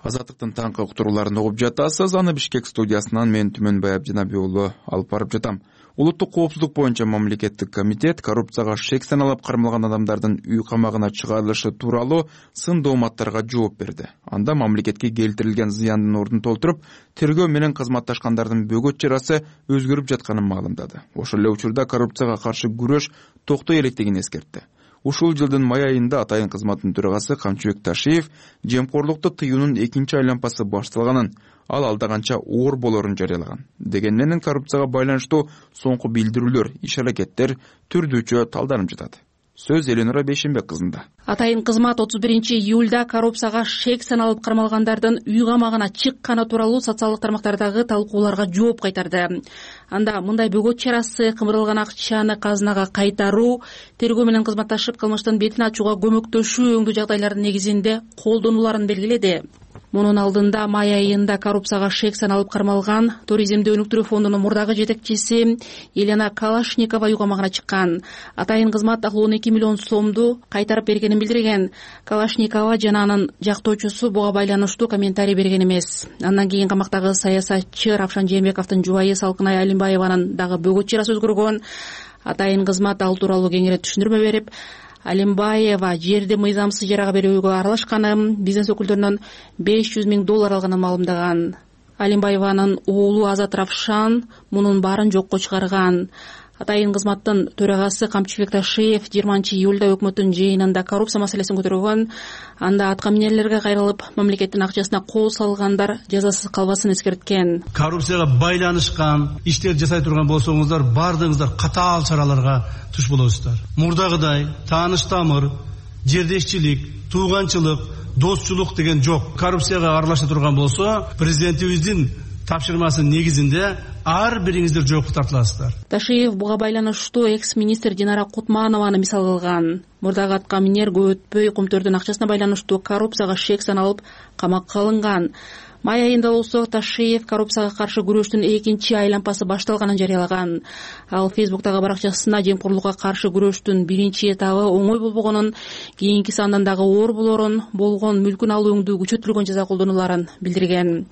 Азаттыктын таңкы уктурууларын угуп жатасыз. Аны Бишкек студиясынан мен Түмөнбай Абдинабий уулу алып барып жатам. Улуттук коопсуздук боюнча мамлекеттик комитет коррупцияга шек саналып кармалган адамдардын үй камагына чыгарылышы тууралуу сын дооматтарга жооп берди. Анда мамлекетке келтирилген зыяндын ордун толтуруп, тергөө менен кызматташкандардын бөгөт чарасы өзгөрүп жатканын маалымдады. Ошол эле учурда коррупцияга каршы күрөш токтой электигин эскертти. Ушул жылдын май айында Атайын кызматтын төрагасы Камчыбек Ташиев жемкорлукту тыюунун экинчи айланпасы башталганын, ал алда канча оор болорун жарыялаган. Дегенмен коррупцияга байланыштуу соңку билдирүүлөр, иш-аракеттер түрдүүчө талданып жатат. Сөз Эленора Бейшенбек кызында. Атайын кызмат отуз биринчи июлда коррупцияга шек саналып кармалгандардын үй камагына чыкканы тууралуу социалдык тармактардагы талкууларга жооп кайтарды. Анда мындай бөгөт чарасы кымырылган акчаны казынага кайтаруу, тергөө менен кызматташып кылмыштын бетин ачууга көмөктөшүү өңдүү жагдайлардын негизинде колдонуларын белгиледи. Мунун алдында май айында коррупцияга шек саналып кармалган туризмди өнүктүрүү фондунун мурдагы жетекчиси Елена Калашникова үй камагына чыккан. Атайын кызмат он эки миллион сомду кайтарып бергенин билдирген. Калашникова жана анын жактоочусу буга байланыштуу комментарий берген эмес. Андан кийин камактагы саясатчы Равшан Жээнбековдун жубайы Салкынай Алимбаеванын дагы бөгөт чарасы өзгөргөн. Атайын кызмат ал тууралуу кеңирээк түшүндүрмө берип, Алимбаева жерди мыйзамсыз ижарага берүүгө аралашканын, бизнес өкүлдөрүнөн беш жүз миң доллар алганын маалымдаган. Алимбаеванын уулу Азат Равшан мунун баарын жокко чыгарган. Атайын кызматтын төрагасы Камчыбек Ташиев жыйырманчы июлда өкмөттүн жыйынында коррупция маселесин көтөргөн. Анда аткаминерлерге кайрылып, мамлекеттин акчасына кол салгандар жазасыз калбасын эскерткен. Коррупцияга байланышкан иштер жасай турган болсоңуздар, бардыгыңыздар катаал чараларга туш болосуздар. Мурдагыдай тааныш тамыр, жердешчилик, тууганчылык, досчулук деген жок. Коррупцияга аралаша турган болсо, президентибиздин тапшырмасынын негизинде ар бириңиздер жоопко тартыласыздар. Ташиев буга байланыштуу экс-министр Динара Кутманованы мисал кылган. Мурдагы аткаминер көп өтпөй кумтөрдүн акчасына байланыштуу коррупцияга шек саналып камакка алынган. Май айында болсо Ташиев коррупцияга каршы күрөштүн экинчи айланпасы башталганын жарыялаган. Ал Фейсбуктагы баракчасына жемкорлукка каршы күрөштүн биринчи этабы оңой болбогонун, кийинкиси андан дагы оор болорун, болгон мүлкүн алуу өңдүү күчөтүлгөн жаза колдонуларын билдирген.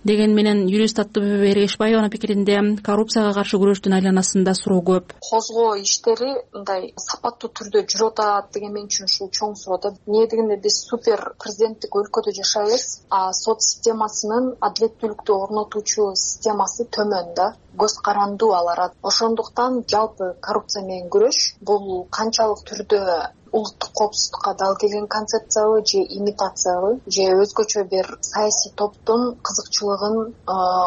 Деген менен юрист Аттыбүбү Эргешбаеванын пикиринде коррупцияга каршы күрөштүн айланасында суроо көп. Козгоо иштери мындай сапаттуу түрдө жүрүп атат деген мен үчүн ушул чоң суроо да. Эмне дегенде биз супер президенттик өлкөдө жашайбыз, а сот системасынын адилеттүүлүктү орнотуучу системасы төмөн да. Көз карандуу алар. Ошондуктан жалпы коррупция менен күрөш бул канчалык түрдө улуттук коопсуздукка дал келген концепциябы же имитациябы же өзгөчө бир саясий топтун кызыкчылыгын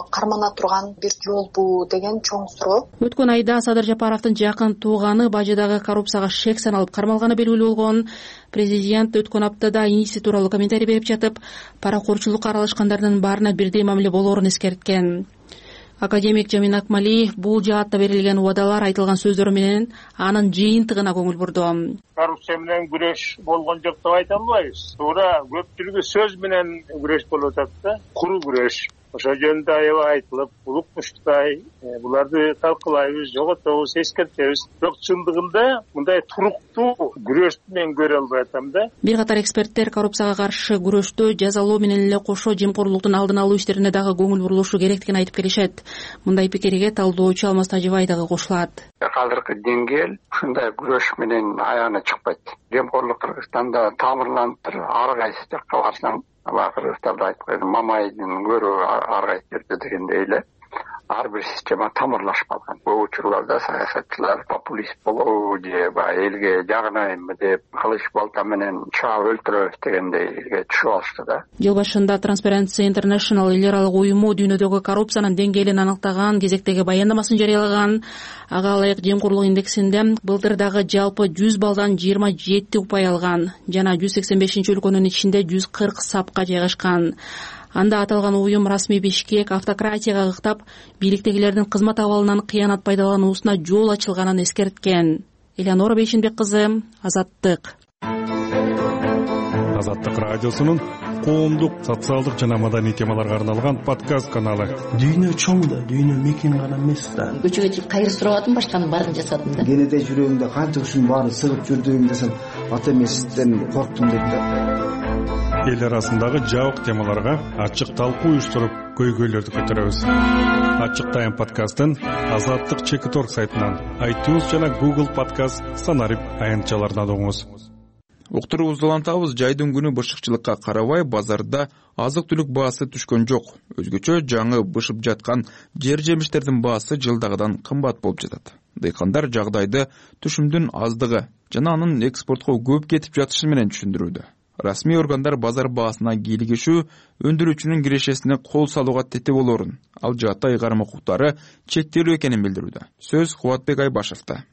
кармана турган бир жолбу деген чоң суроо. Өткөн айда Садыр Жапаровдун жакын тууганы Бажыдагы коррупцияга шек саналып кармалганы белгилүү болгон. Президент өткөн аптада иниси тууралуу комментарий берип жатып, паракорчулукка аралашкандардын баарына бирдей мамиле болоорун эскерткен. Академик Жамин Акмали бул жаатта берилген убадалар, айтылган сөздөр менен анын жыйынтыгына көңүл бурду. Коррупция менен күрөш болгон жок деп айта албайбыз. Туура көпчүлүгү сөз менен күрөш болуп атат да, куру күрөш. Ошо жөнүндө аябай айтылып, улуктуштай буларды талкуулайбыз, жоготобуз, эскертебиз. Бирок чындыгында мындай туруктуу күрөштү мен көрө албай атам да. Бир катар эксперттер коррупцияга каршы күрөштө жазалоо менен эле кошо жемкорлуктун алдын алуу иштерине дагы көңүл бурулушу керектигин айтып келишет. Мындай пикирге талдоочу Алмаз Тажибай дагы кошулат. Азыркы деңгээл ушундай күрөш менен аяна чыкпайт. Жемкорлук Кыргызстанда тамырланып туруп, ар кайсы жакка барсаң, кыргыздарда айтып койду, мамайдын көрү ар кайсы жерде дегендей эле ар бир система тамырлашып калган. Көп учурларда саясатчылар популист болобу же баягы элге жагынайынбы деп кылыч балта менен чаап өлтүрөбүз дегендейге түшүп алышты да. Жыл башында Transparency International эл аралык уюму дүйнөдөгү коррупциянын деңгээлин аныктаган кезектеги баяндамасын жарыялаган. Ага ылайык жемкорлук индексинде былтыр дагы жалпы жүз балдан жыйырма жети упай алган жана жүз сексен бешинчи өлкөнүн ичинде жүз кырк сапка жайгашкан. Анда аталган уюм расмий Бишкек автократияга ыктап, бийликтегилердин кызмат абалынан кыянат пайдалануусуна жол ачылганын эскерткен. Элеонора Бейшенбек кызы, Азаттык. Азаттык радиосунун коомдук, социалдык жана маданий темаларга арналган подкаст каналы. Дүйнө чоң да, дүйнө мекен гана эмес да. Көчөгө чыгып кайыр сурап атам, башканын баарын жасадым да. Кенеде жүрөгүмдө канча ушунун баарын сыгып жүрдүм десем, ата эмесизден корктум деп да. Эл арасындагы жабык темаларга ачык талкуу уюштуруп, көйгөйлөрдү көтөрөбүз. Ачык тайм подкастын Азаттык чекит точка орг сайтынан, iTunes жана Google подкаст станарып аянтчаларынан угуңуз. Уктуруубузду улантабыз. Жайдын күнү бышыкчылыкка карабай базарда азык-түлүк баасы түшкөн жок. Өзгөчө жаңы бышып жаткан жер жемиштердин баасы жылдагыдан кымбат болуп жатат. Дыйкандар жагдайды түшүмдүн аздыгы жана анын экспортко көп кетип жатышы менен түшүндүрүүдө. Расмий органдар базар баасына кийлигишүү өндүрүүчүнүн кирешесине кол салууга тете болорун, ал жаатта ыйгарым укуктары чектелүү экенин билдирүүдө. Сөз Кубатбек Айбашевда.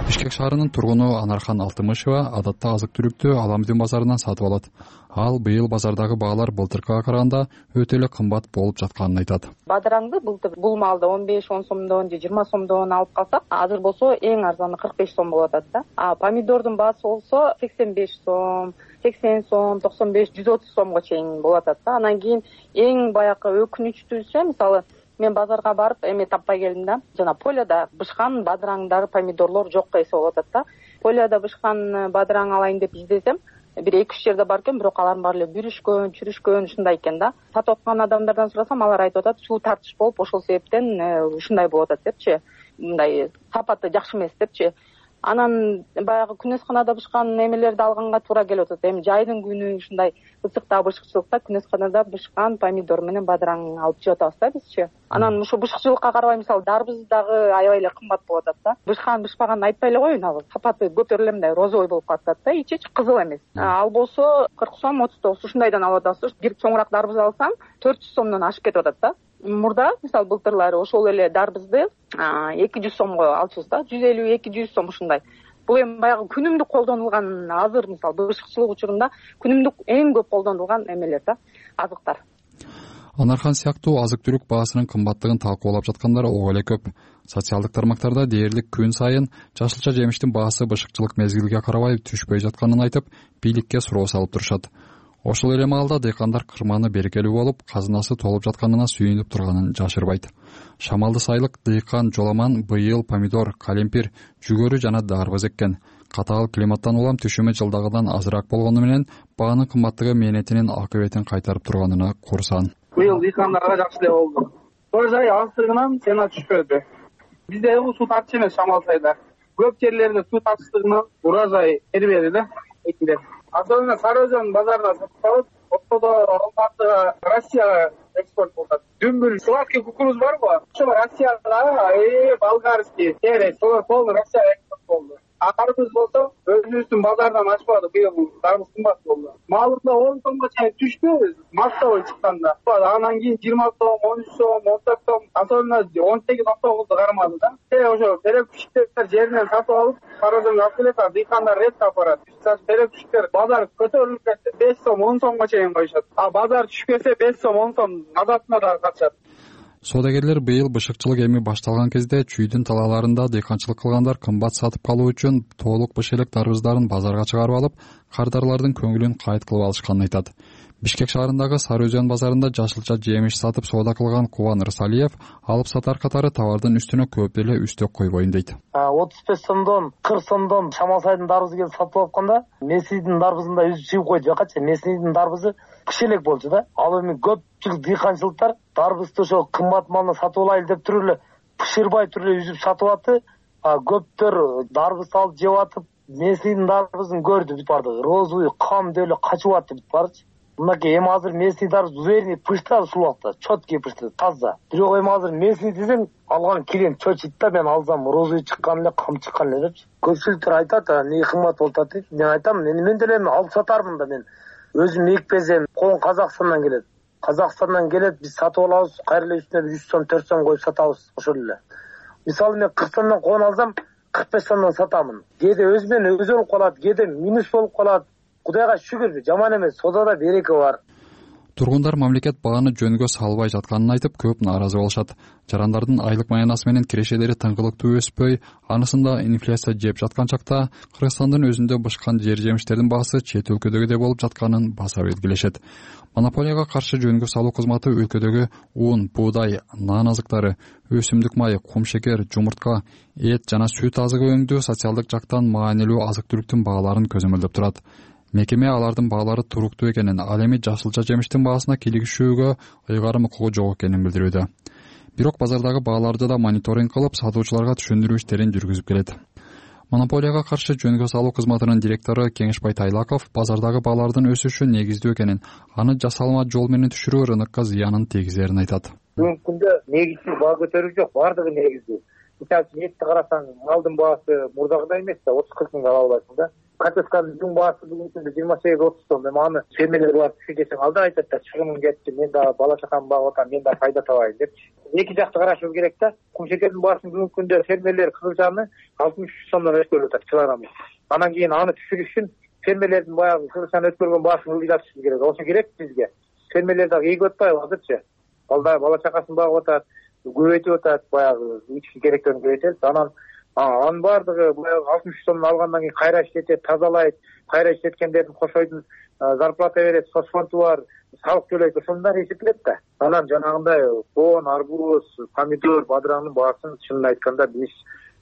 Бишкек шаарынын тургуну Анархан Алтымышева адатта азык-түлүктү Аламдин базарынан сатып алат. Ал быйыл базардагы баалар былтыркыга караганда өтө эле кымбат болуп жатканын айтат. Бадыраңды былтыр бул малды он беш он сомдон же жыйырма сомдон алып калсак, азыр болсо эң арзаны кырк беш сом болуп атат да. А помидордун баасы болсо сексен беш сом, сексен сом, токсон беш, жүз отуз сомго чейин болуп атат да. Анан кийин эң баягы өкүнүчтүүсү, мисалы мен базарга барып эме таппай келдим да. Жана поляда бышкан бадыраңдар, помидорлор жок эсе болуп атат да. Поляда бышкан бадыраң алайын деп издесем, бир эки үч жерде бар экен, бирок алардын баары эле бүрүшкөн, чүрүшкөн ушундай экен да. Сатып аткан адамдардан сурасам, алар айтып атат, суу тартыш болуп, ошол себептен ушундай болуп атат депчи. Мындай сапаты жакшы эмес депчи. Анан баягы күнөсканада бышкан эмелерди алганга туура келип атат. Эми жайдын күнү ушундай ысыкта, бышыкчылыкта күнөсканада бышкан помидор менен бадыраң алып жеп атабыз да бизчи. Анан ушу бышыкчылыкка карабай, мисалы дарбыз дагы аябай эле кымбат болуп атат да. Бышкан бышпаганын айтпай эле коеюн, ал сапаты көтөрүлө мындай розовый болуп калат да, ичи кызыл эмес. Ал болсо кырк сом, отуз тогуз ушундайдан алып атабыз. Бир чоңураак дарбыз алсаң төрт жүз сомдон ашып кетип атат да. Мурда мисалы былтырлары ошол эле дарбызды эки жүз сомго алчубуз да, жүз элүү эки жүз сом ушундай. Бул эми баягы күнүмдүк колдонулган, азыр мисалы бышыкчылык учурунда күнүмдүк эң көп колдонулган эмелер да, азыктар. Анархан сыяктуу азык-түлүк баасынын кымбаттыгын талкуулап жаткандар ого эле көп. Социалдык тармактарда дээрлик күн сайын жашылча жемиштин баасы бышыкчылык мезгилге карабай түшпөй жатканын айтып, бийликке суроо салып турушат. Ошол эле маалда дыйкандар кырманы берекелүү болуп, казынасы толуп жатканына сүйүнүп турганын жашырбайт. Шамалды сайылык дыйкан Жоламан быйыл помидор, калемпир, жүгөрү жана дарбыз эккен. Катаал климаттан улам түшүмү жылдагыдан азыраак болгону менен баанын кымбаттыгы мээнетинин акыбетин кайтарып турганына курсан. Быйыл дыйкандарга жакшы эле болду. Урожай аздыгынан цена түшпөдү. Бизде суу тартыш эмес Шамал сайда. Көп жерлерде суу тартыштыгынан урожай бербеди да экилер. Особенно Сарыөзөн базарына сатып алып, ортодо Алматыга, Россияга экспорт болот. Дүмбүл, сладкий кукуруз барбы? Ошо Россияга, э, болгарский, терес, солар полный Россияга экспорт болду. дарбыз болсо өзүбүздүн базардан ачпадык, быйыл дарбыз кымбат болду. Маалында он сомго чейин түштү мактабы чыкканда. Анан кийин жыйырма сом, он үч сом, он төрт сом, особенно он сегиз он тогузду кармады да. Ошо терек күчтөр жеринен сатып алып, пародонго алып келет, дыйкандар ретке апарат. Терек күчтөр базар көтөрүлүп кетсе беш сом, он сомго чейин коюшат. А базар түшүп кетсе беш сом, он сом азатына да качат. Соодагерлер быйыл бышыкчылык эми башталган кезде чүйдүн талааларында дыйканчылык кылгандар кымбат сатып калуу үчүн тоолук быш элек дарбыздарын базарга чыгарып алып, кардарлардын көңүлүн кайыт кылып алышканын айтат. Бишкек шаарындагы Сары Өзөн базарында жашылча жемиш сатып соода кылган Кубан Рысалиев алып сатар катары товардын үстүнө көп эле үстөк койбойн дейт. отуз беш сомдон кырк сомдон Шамалсайдын дарбызы келип сатып алганда, Меснийдин дарбызында үзүп чыгып койду жакачы. Меснийдин дарбызы кичелек болчу да. Ал эми көпчүлүк дыйканчылыктар дарбызды ошо кымбат малына сатып алайлы деп туруп эле бышырбай туруп эле үзүп сатып атты. Көптөр дарбызды алып жеп атып, Меснийдин дарбызын көрдү бүт барды. Розовый кам деп эле качып атты бүт барды. Мынакей эми азыр Месний дарбыз уверенный пышта сулакта, четкий пышта, таза. Бирок эми азыр Месний десең, алган клиент чочойт да, мен алсам розовый чыккан эле, кам чыккан эле депчи. Көпчүлүктөр айтат, эмне кымбат болуп атат дейт. Мен айтам, мен деле алып сатармын да, мен өзүм экпесем, кон Казакстандан келет. Казакстандан келет, биз сатып алабыз, кайра эле үстүнө жүз сом, төрт сом коюп сатабыз, ошол эле. Мисалы мен кырк сомдон кон алсам, кырк беш сомдон сатамын. Кээде өзү менен өзү болуп калат, кээде минус болуп калат. Кудайга шүгүр, жаман эмес, содада береке бар. Тургундар мамлекет бааны жөнгө салбай жатканын айтып, көп нааразы болушат. Жарандардын айлык маянасы менен кирешелери тыңгылыктуу өспөй, анысында инфляция жеп жаткан чакта Кыргызстандын өзүндө бышкан жер жемиштердин баасы чет өлкөдөгүдөй болуп жатканын баса белгилешет. Монополияга каршы жөнгө салуу кызматы өлкөдөгү ун, буудай, нан азыктары, өсүмдүк майы, кум шекер, жумуртка, эт жана сүт азыгы өңдүү социалдык жактан маанилүү азык-түлүктүн бааларын көзөмөлдөп турат. Мекеме алардын баалары туруктуу экенин, ал эми жашылча жемиштин баасына кийлигишүүгө ыйгарым укугу жок экенин билдирүүдө. Бирок базардагы бааларды да мониторинг кылып, сатуучуларга түшүндүрүү иштерин жүргүзүп келет. Монополияга каршы жөнгө салуу кызматынын директору Кеңешбай Тайлаков базардагы баалардын өсүшү негиздүү экенин, аны жасалма жол менен түшүрүү рынокко зыянын тийгизерин айтат. Бүгүнкү күндө негизсиз баа көтөрүү жок, бардыгы негиздүү. Мисалы үчүн этти карасаң, малдын баасы мурдагыдай эмес да, отуз кырк миңге ала албайсың да. Картошканын жүн баасы бүгүнкү күндө жыйырма сегиз отуз сом. Эми аны фермерлер барып түшү десең, алда айтат да, чыгымым кетти, мен да бала чакамды багып атам, мен да пайда табайын депчи. Эки жакты карашыбыз керек да. Кум шекердин баасын бүгүнкү күндө фермерлер кызылчаны алтымыш үч сомдон өткөрүп атат килограммы. Анан кийин аны түшүрүш үчүн фермерлердин баягы кызылчаны өткөргөн баасын ылдыйтышыбыз керек. Ошо керек бизге. Фермерлер дагы ийгип атпайбы азырчы? Алда бала чакасын багып атат, көбөйтүп атат, баягы ички керектерин көбөйтөт. Анан анын баардыгы баягы алтымыш үч сомдон алгандан кийин кайра иштетет, тазалайт, кайра иштеткендердин кошойдун зарплата берет, соцфонду бар, салык төлөйт, ошондор эсептелет да. Анан жанагындай кон, арбуз, помидор, бадыраңдын баасын чынын айтканда биз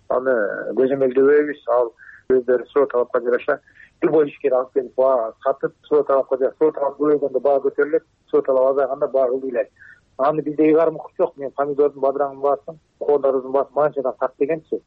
аны көзөмөлдөбөйбүз. Ал өздөрү суроо талапка жараша любой ишкер алып келип баа сатып, суроо талапка жараша, суроо талап көбөйгөндө баа көтөрүлөт, суроо талап азайганда баа ылдыйлайт. Аны бизде ыйгарым укук жок. Мен помидордун, бадыраңдын баасын, кондордун баасын манчадан сат дегенчи.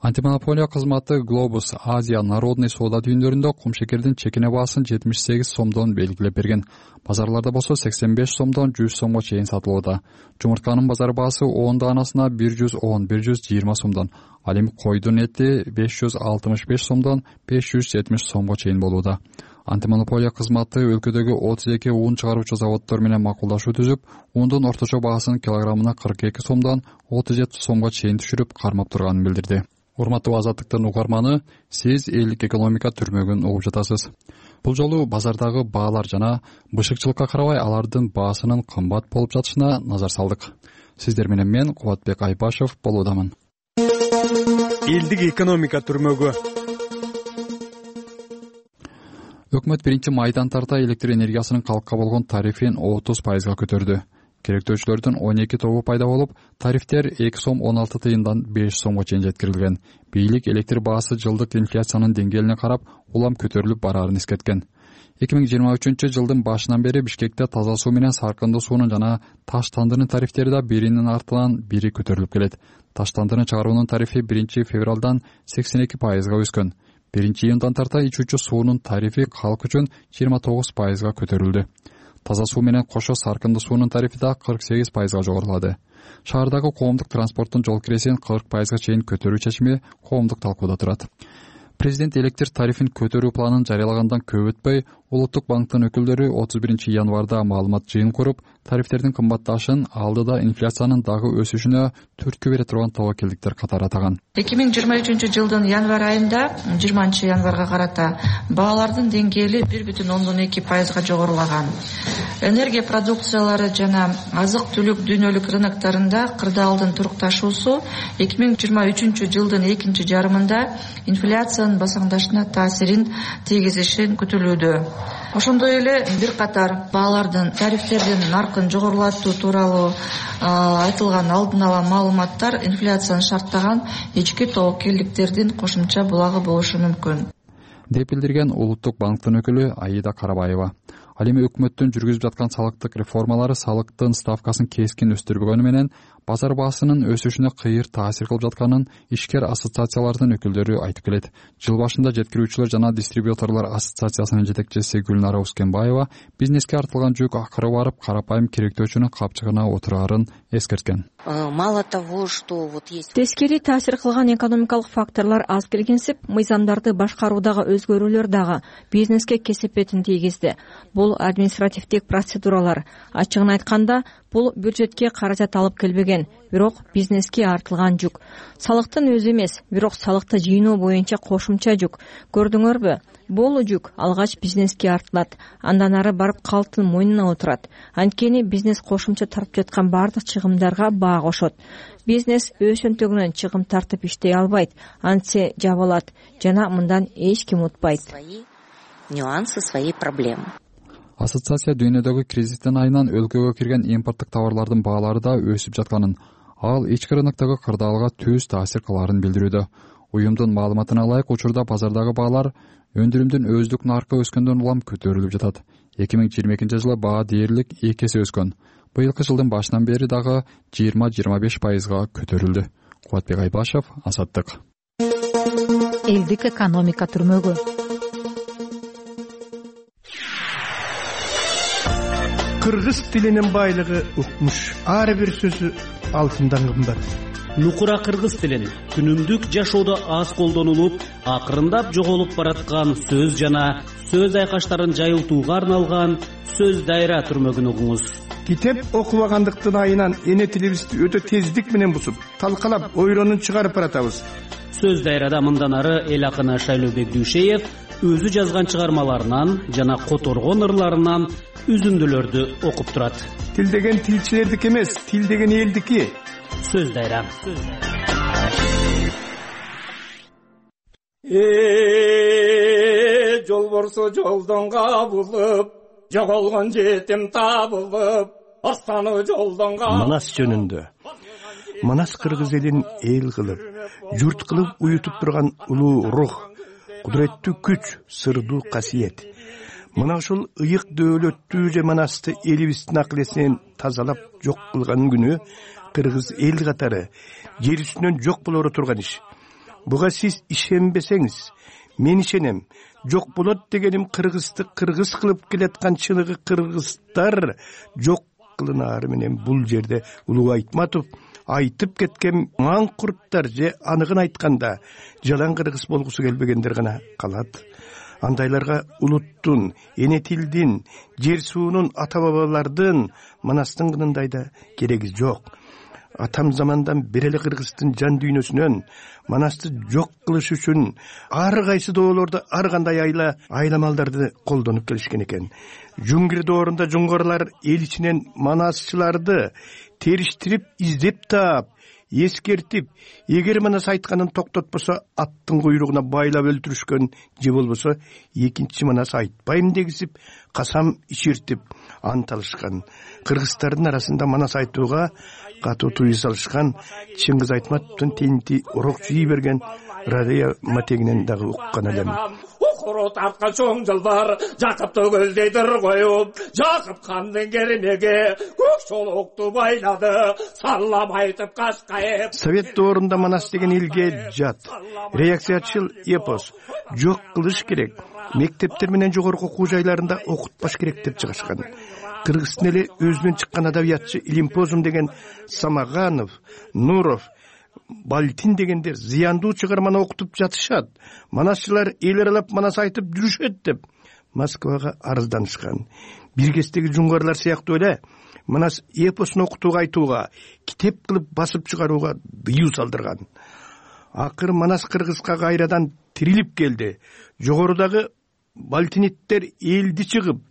Антимонополия кызматы Глобус Азия народный соода түйүндөрүндө кум шекердин чекине баасын жетимиш сегиз сомдон белгилеп берген. Базарларда болсо сексен беш сомдон жүз сомго чейин сатылууда. Жумуртканын базар баасы он даанасына бир жүз он бир жүз жыйырма сомдон, ал эми койдун эти беш жүз алтымыш беш сомдон беш жүз жетимиш сомго чейин болууда. Антимонополия кызматы өлкөдөгү отуз эки ун чыгаруучу заводдор менен макулдашуу түзүп, ундун орточо баасын килограммына кырк эки сомдон отуз жети сомго чейин түшүрүп кармап турганын билдирди. Урматтуу Азаттыктын угарманы, сиз элдик экономика түрмөгүн угуп жатасыз. Бул жолу базардагы баалар жана бышыкчылыкка карабай алардын баасынын кымбат болуп жатышына назар салдык. Сиздер менен мен Кубатбек Айбашев болуудамын. Элдик экономика түрмөгү. Өкмөт биринчи майдан тарта электр энергиясынын калкка болгон тарифин отуз пайызга көтөрдү. Керектөөчүлөрдүн он эки тобу пайда болуп, тарифтер эки сом он алты тыйындан беш сомго чейин жеткирилген. Бийлик электр баасы жылдык инфляциянын деңгээлине карап улам көтөрүлүп бараарын эскерткен. эки миң жыйырма үчүнчү жылдын башынан бери Бишкекте таза суу менен саркындуу суунун жана таш тандырынын тарифтери да биринин артынан бири көтөрүлүп келет. Таш тандырын чыгаруунун тарифи биринчи февралдан сексен эки пайызга өскөн. биринчи июндан тарта ичүүчү суунун тарифи калк үчүн жыйырма тогуз пайызга көтөрүлдү. Таза суу менен кошо саркындуу суунун тарифи да кырк сегиз пайызга жогорулады. Шаардагы коомдук транспорттун жол киресин кырк пайызга чейин көтөрүү чечими коомдук талкууда турат. Президент электр тарифин көтөрүү планын жарыялагандан көп өтпөй Улуттук банктын өкүлдөрү отуз биринчи январда маалымат жыйын куруп, тарифтердин кымбатташын, алдыда инфляциянын дагы өсүшүнө түрткү бере турган тобокелдиктер катары атаган. эки миң жыйырма үчүнчү жылдын январь айында жыйырманчы январга карата баалардын деңгээли бир бүтүн ондон эки пайызга жогорулаган. Энергия продукциялары жана азык түлүк дүйнөлүк рыноктарында кырдаалдын турукташуусу эки миң жыйырма үчүнчү жылдын экинчи жарымында инфляциянын басаңдашына таасирин тийгизишин күтүлүүдө. Ошондой эле бир катар баалардын тарифтердин наркын жогорулатуу тууралуу айтылган алдын ала маалыматтар инфляцияны шарттаган ички тобокелдиктердин кошумча булагы болушу мүмкүн, деп билдирген Улуттук банктын өкүлү Аида Карабаева. Ал эми өкмөттүн жүргүзүп жаткан салыктык реформалары салыктын ставкасын кескин өстүрбөгөнү менен базар баасынын өсүшүнө кыйыр таасир кылып жатканын ишкер ассоциациялардын өкүлдөрү айтып келет. Жыл башында жеткирүүчүлөр жана дистрибьюторлор ассоциациясынын жетекчиси Гүлнара Ускенбаева бизнеске артылган жүк акыры барып карапайым керектөөчүнүн капчыгына отурарын эскерткен. Мало того, что вот есть тескери таасир кылган экономикалык факторлор аз келгенсип, мыйзамдарды башкаруудагы өзгөрүүлөр дагы бизнеске кесепетин тийгизди. Бул административдик процедуралар. Ачыгын айтканда, бул бюджетке каражат алып келбеген, бирок бизнеске артылган жүк. Салыктын өзү эмес, бирок салыкты жыйноо боюнча кошумча жүк. Көрдүңөрбү? Бул жүк алгач бизнеске артылат, андан ары барып калктын мойнуна отурат. Анткени бизнес кошумча тартып жаткан бардык чыгымдарга баа кошот. Бизнес өз өнтөгүнөн чыгым тартып иштей албайт, антсе жабылат жана мындан эч ким утпайт. Нюансы, свои проблемы. Ассоциация дүйнөдөгү кризистин айынан өлкөгө кирген импорттук товарлардын баалары да өсүп жатканын, ал ички рыноктогу кырдаалга түз таасир кыларын билдирүүдө. Уюмдун маалыматына ылайык, учурда базардагы баалар өндүрүмдүн өздүк наркы өскөндөн улам көтөрүлүп жатат. эки миң жыйырма экинчи жылы баа дээрлик эки эсе өскөн. Быйылкы жылдын башынан бери дагы жыйырма жыйырма беш пайызга көтөрүлдү. Кубатбек Айбашев, Азаттык. Элдик экономика түрмөгү. Кыргыз тилинин байлыгы укмуш. Ар бир сөзү алтындан кымбат. Нукура кыргыз тилин күнүмдүк жашоодо аз колдонулуп, акырындап жоголуп бараткан сөз жана сөз айкаштарын жайылтууга арналган сөз дайра түрмөгүн угуңуз. Китеп окубагандыктын айынан эне тилибизди өтө тездик менен бусуп, талкалап, ойронун чыгарып баратабыз. Сөз дайрада мындан ары эл акыны Шайлообек Дүйшеев өзү жазган чыгармаларынан жана которгон ырларынан үзүндүлөрдү окуп турат. Тил деген тилчилердики эмес, тил деген элдики. Сөз дайра. Э, жолборсо жолдон кабылып, жоголгон жетим табылып, астаны жолдон кабылып. Манас жөнүндө. Манас кыргыз элин эл кылып, журт кылып уютуп турган улуу рух, кудуреттүү күч, сырдуу касиет. Мына ушул ыйык дөөлөттүү же манасты элибиздин акыл-эсинен тазалап жок кылган күнү кыргыз эл катары жер үстүнөн жок болоро турган иш. Буга сиз ишенбесеңиз, мен ишенем. Жок болот дегеним кыргызды кыргыз кылып келаткан чыныгы кыргыздар жок кылынаары менен бул жерде Улуу Айтматов айтып кеткен маңкурттар же аныгын айтканда жалаң кыргыз болгусу келбегендер гана калат. Андайларга улуттун, эне тилдин, жер суунун, ата бабалардын, манастын кынындай да кереги жок. Атам замандан бери эле кыргыздын жан дүйнөсүнөн манасты жок кылыш үчүн ар кайсы доолордо ар кандай айла айламалдарды колдонуп келишкен экен. Жуңгир доорунда жуңгурлар эл ичинен манасчыларды териштирип издеп таап, эскертип, эгер манас айтканын токтотпосо аттын куйругуна байлап өлтүрүшкөн же болбосо экинчи манас айтпайм дегизип, касам ичиртип ант алышкан. Кыргыздардын арасында манас айтууга катуу тыюу салышкан Чыңгыз Айтматовдун тенти урок жий берген Радия матегинен дагы уккан элем. Укуру тарткан чоң жылдар Жакыпты көздөйдүр коюп, Жакып хандын кермеге көк чолокту байлады, саллам айтып кашкайып. Совет доорунда манас деген элге жат, реакциячыл эпос, жок кылыш керек, мектептер менен жогорку окуу жайларында окутпаш керек деп чыгышкан. Кыргыздын эле өзүнөн чыккан адабиятчы Илимпозум деген Самаганов, Нуров, балтин дегендер зыяндуу чыгарманы окутуп жатышат. Манасчылар эл аралап манас айтып жүрүшөт деп Москвага арызданышкан. Бир кездеги жуңгарлар сыяктуу эле манас эпосун окутууга айтууга, китеп кылып басып чыгарууга дыюу салдырган. Акыр манас кыргызга кайрадан тирилип келди. Жогорудагы балтиниттер элди чыгып,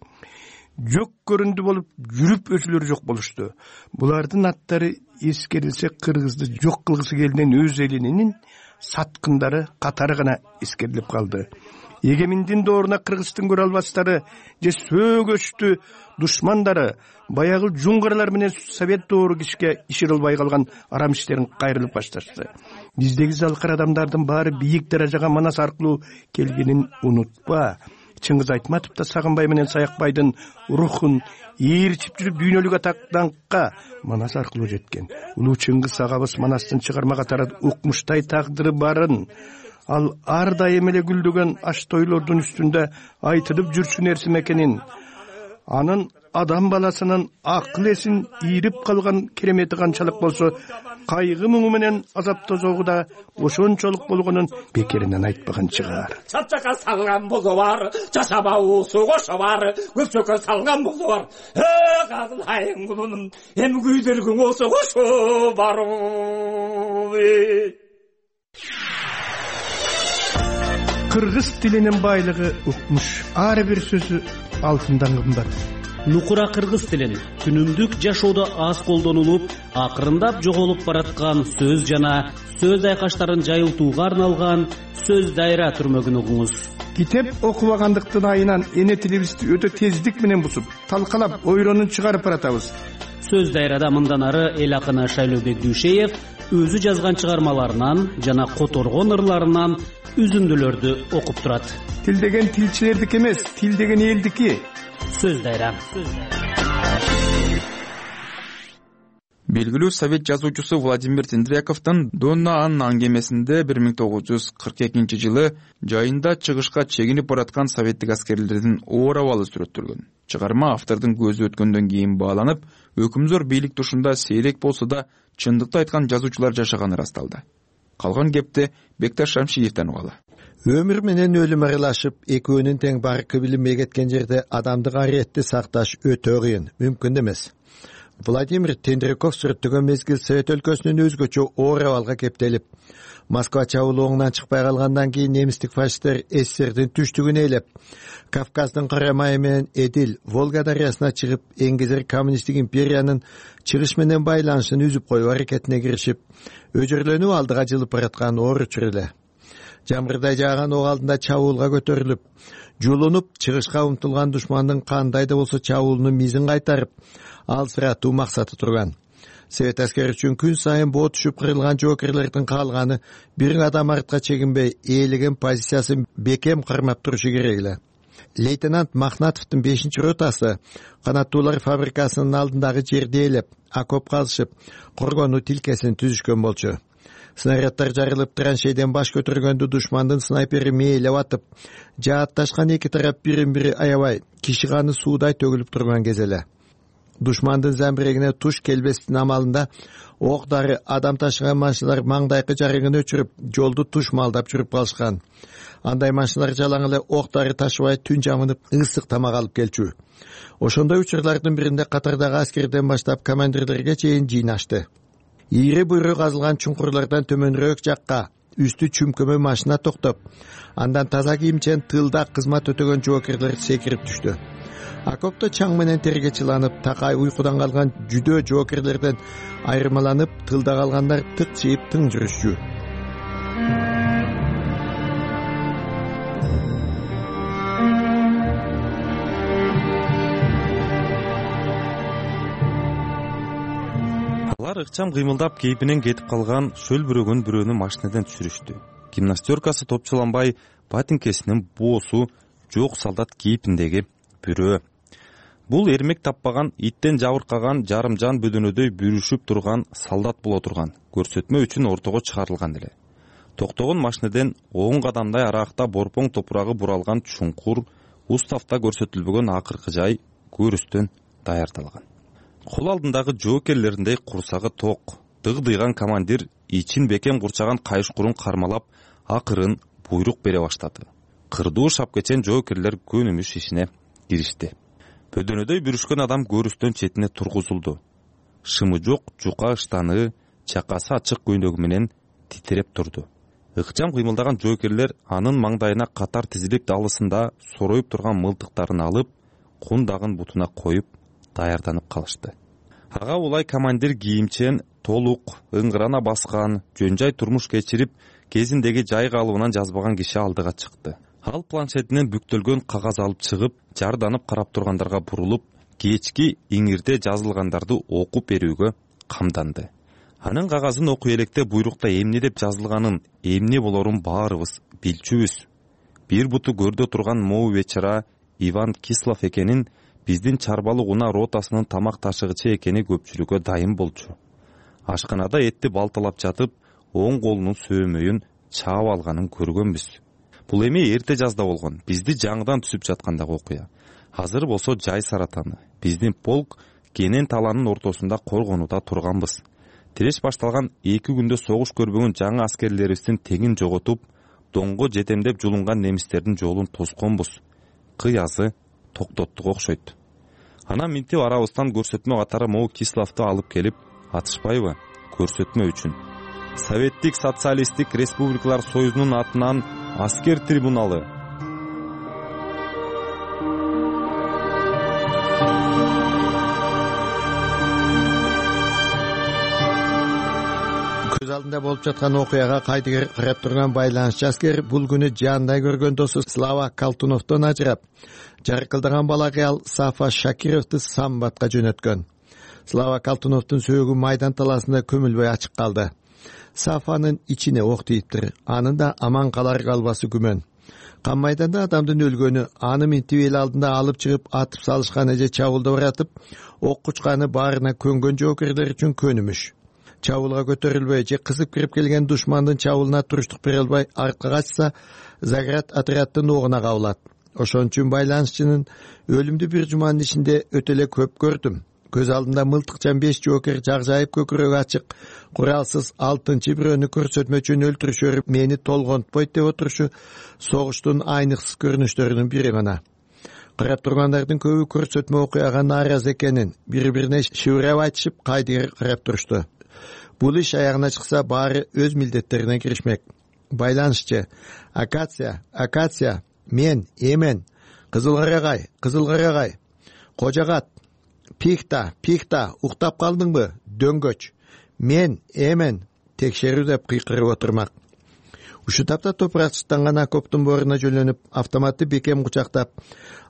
жок көрүндү болуп, жүрүп өзүлөрү жок болушту. Булардын аттары эскерилсе кыргызды жок кылгысы келген өз элинин саткындары катары гана эскерилип калды. Эгеминдин дооруна кыргыздын көрө албастары же сөөгөчтү душмандары баягы жуңгарлар менен совет доору кишке ишире албай калган арам иштерин кайрылып башташты. Биздеги залкар адамдардын баары бийик даражага манас аркылуу келгенин унутпа. Чыңгыз Айтматов да Сагынбай менен Саякбайдын рухун ээрчип жүрүп дүйнөлүк атактанкка манас аркылуу жеткен. Улуу Чыңгыз агабыз манастын чыгарма катары укмуштай тагдыры барын, ал ар дайым эле гүлдөгөн аш тойлордун үстүндө айтылып жүрчү нерсе экенин, анын адам баласынын акыл эсин ийрип калган керемети канчалык болсо, кайгы муңу менен азап тозогу да ошончолук болгонун бекеринен айтпаган чыгар. Чапчакка салган болсо бар, жашабаусу кошо бар, көпчөккө салган болсо бар. Э, казылайын кулунум, эми күйдөргүң болсо кошо бар. Кыргыз тилинин байлыгы укмуш. Ар бир сөзү алтындан кымбат. Нукура кыргыз тилин күнүмдүк жашоодо аз колдонулуп, акырындап жоголуп бараткан сөз жана сөз айкаштарын жайылтууга арналган сөз дайра түрмөгүн угуңуз. Китеп окубагандыктын айынан эне тилибизди өтө тездик менен бусуп, талкалап, ойронун чыгарып баратабыз. Сөз дайрада мындан ары эл акыны Шайлообек Дүйшеев өзү жазган чыгармаларынан жана которгон ырларынан үзүндүлөрдү окуп турат. Тил деген тилчилердики эмес, тил деген элдики. Сөз дайра. Белгилүү совет жазуучусу Владимир Тендряковдун Донна Анна аңгемесинде бир миң тогуз жүз кырк экинчи жылы жайында чыгышка чегинип бараткан советтик аскерлердин оор абалы сүрөттөлгөн. Чыгарма автордун көзү өткөндөн кийин бааланып, өкүмзөр бийлик тушунда сейрек болсо да чындыкты айткан жазуучулар жашаганы ырасталды. Калган кепти Бекташ Шамшиевден угалы. Өмүр менен өлүм аралашып, экөөнүн тең баркы билинбей кеткен жерде адамдык ариетти сакташ өтө кыйын, мүмкүн эмес. Владимир Тендряков сүрөттөгөн мезгил Совет өлкөсүнүн өзгөчө оор абалга кептелип, Москва чабуулугунан чыкпай калгандан кийин немистик фашисттер СССРдин түштүгүн ээлеп, Кавказдын Кара майы менен Эдил, Волга дарыясына чыгып, эңгезер коммунисттик империянын чыгыш менен байланышын үзүп коюу аракетине киришип, өжөрлөнүү алдыга жылып бараткан оор учур эле. Жамгырдай жааган ок алдында чабуулга көтөрүлүп, жулунуп чыгышка умтулган душмандын кандай да болсо чабуулунун мизин кайтарып, алсыратуу максаты турган. Совет аскери үчүн күн сайын боо түшүп кырылган жоокерлердин каалганы бир кадам артка чегинбей, ээлеген позициясын бекем кармап турушу керек эле. Лейтенант Махнатовдун бешинчи ротасы канаттуулар фабрикасынын алдындагы жерди ээлеп, окоп казышып, коргонуу тилкесин түзүшкөн болчу. Снаряддар жарылып, траншейден баш көтөргөндө душмандын снайпери мээлеп атып, жаатташкан эки тарап бирин-бири аябай, киши каны суудай төгүлүп турган кез эле. Душмандын замбирегине туш келбестин амалында ок дары адам ташыган машиналар маңдайкы жарыгын өчүрүп, жолду туш малдап жүрүп калышкан. Андай машиналар жалаң эле ок дары ташыбай түн жамынып, ысык тамак алып келчү. Ошондой учурлардын биринде катардагы аскерден баштап командирлерге чейин жыйнашты. Ийри буйру казылган чуңкурлардан төмөнүрөөк жакка үстү чүмкөмө машина токтоп, андан таза кийимчен тылда кызмат өтөгөн жоокерлер секирип түштү. Окопто чаң менен терге чыланып, такай уйкудан калган жүдөө жоокерлерден айырмаланып, тылда калгандар тыкчыйып тың жүрүшчү. Алар ыкчам кыймылдап кейпинен кетип калган шөл бүрөгөн бирөөнү машинеден түшүрүштү. Гимнастеркасы топчуланбай, батинкесинин боосу жок солдат кейпиндеги бирөө. Бул эрмек таппаган, иттен жабыркаган, жарымжан бөдөнөдөй бүрүшүп турган солдат боло турган. Көрсөтмө үчүн ортого чыгарылган эле. Токтогон машинеден он кадамдай аракта борпоң топурагы буралган чуңкур, уставта көрсөтүлбөгөн акыркы жай көрүстөн даярдалган. Кол алдындагы жоокерлериндей курсагы ток, дыгдыйган командир ичин бекем курчаган кайышкурун кармалап акырын буйрук бере баштады. Кырдуу шапкечен жоокерлер көнүмүш ишине киришти. Бөдөнөдөй бүрүшкөн адам көрүстөн четине тургузулду. Шымы жок жука ыштаны чакасы ачык көйнөгү менен титиреп турду. Ыкчам кыймылдаган жоокерлер анын маңдайына катар тизилип далысында сороюп турган мылтыктарын алып, кундагын бутуна коюп даярданып калышты. Ага улай командир кийимчен, толук, ыңгырана баскан, жөн-жай турмуш кечирип, кезиндеги жай калыбынан жазбаган киши алдыга чыкты. Ал планшетинен бүктөлгөн кагаз алып чыгып, жарданып карап тургандарга бурулуп, кечки иңирде жазылгандарды окуп берүүгө камданды. Анын кагазын окуй электе буйрукта эмне деп жазылганын, эмне болорун баарыбыз билчүбүз. Бир буту көрдө турган могу вечера Иван Кислов экенин, биздин чарбалык унаа ротасынын тамак ташыгычы экени көпчүлүккө дайым болчу. Ашканада этти балталап жатып, оң колунун сөөмөйүн чаап алганын көргөнбүз. Бул эми эрте жазда болгон, бизди жаңыдан түсүп жаткандагы окуя. Азыр болсо жай саратаны. Биздин полк Кенен таланын ортосунда коргонууда турганбыз. Тиреш башталган эки күндө согуш көрбөгөн жаңы аскерлерибиздин тегин жоготуп, доңго жетемдеп жулунган немистердин жолун тосконбуз. Кыязы токтоттук окшойт. Анан минтип арабыздан көрсөтмө катары могу Кисловду алып келип, атышпайбы? Көрсөтмө үчүн. Советтик социалисттик республикалар союзунун атынан аскер трибуналы. Көз алдында болуп жаткан окуяга кайдыгер карап турган байланышчы аскер бул күнү жаандай көргөн досу Слава Калтуновдон ажырап, жаркылдаган бала кыял Сафа Шакировду самбатка жөнөткөн. Слава Калтуновдун сөөгү майдан таласында көмүлбөй ачык калды. Сафанын ичине ок тийиптир, анын да аман калар калбасы күмөн. Кан майданда адамдын өлгөнү, аны минтип эл алдында алып чыгып атып салышканы же чабуулда баратып, ок кучканы баарына көнгөн жоокерлер үчүн көнүмүш. Чабуулга көтөрүлбөй же кызып кирип келген душмандын чабуулуна туруштук бере албай артка качса, Заград отряддын огуна кабылат. Ошон үчүн байланышчынын өлүмдү бир жуманын ичинде өтө эле көп көрдүм. Көз алдымда мылтыкчан беш жоокер жагжайып көкүрөгү ачык, куралсыз алтынчы бирөөнү көрсөтмө үчүн өлтүрүшөрүп, мени толгонтпойт деп отурушу согуштун айныксыз көрүнүштөрүнүн бири гана. Карап тургандардын көбү көрсөтмө окуяга нааразы экенин, бири-бирине шыбырап айтышып, кайдыгер карап турушту. Бул иш аягына чыкса, баары өз милдеттерине киришмек. Байланышчы: Акация, акация, мен, эмен, кызыл карагай, кызыл карагай, кожагат, пихта, пихта, уктап калдыңбы, дөңгөч, мен, эмен, текшерүү деп кыйкырып отурмак. Ушул тапта топуракчыктанган окоптун боруна жөнөнүп, автоматты бекем кучактап,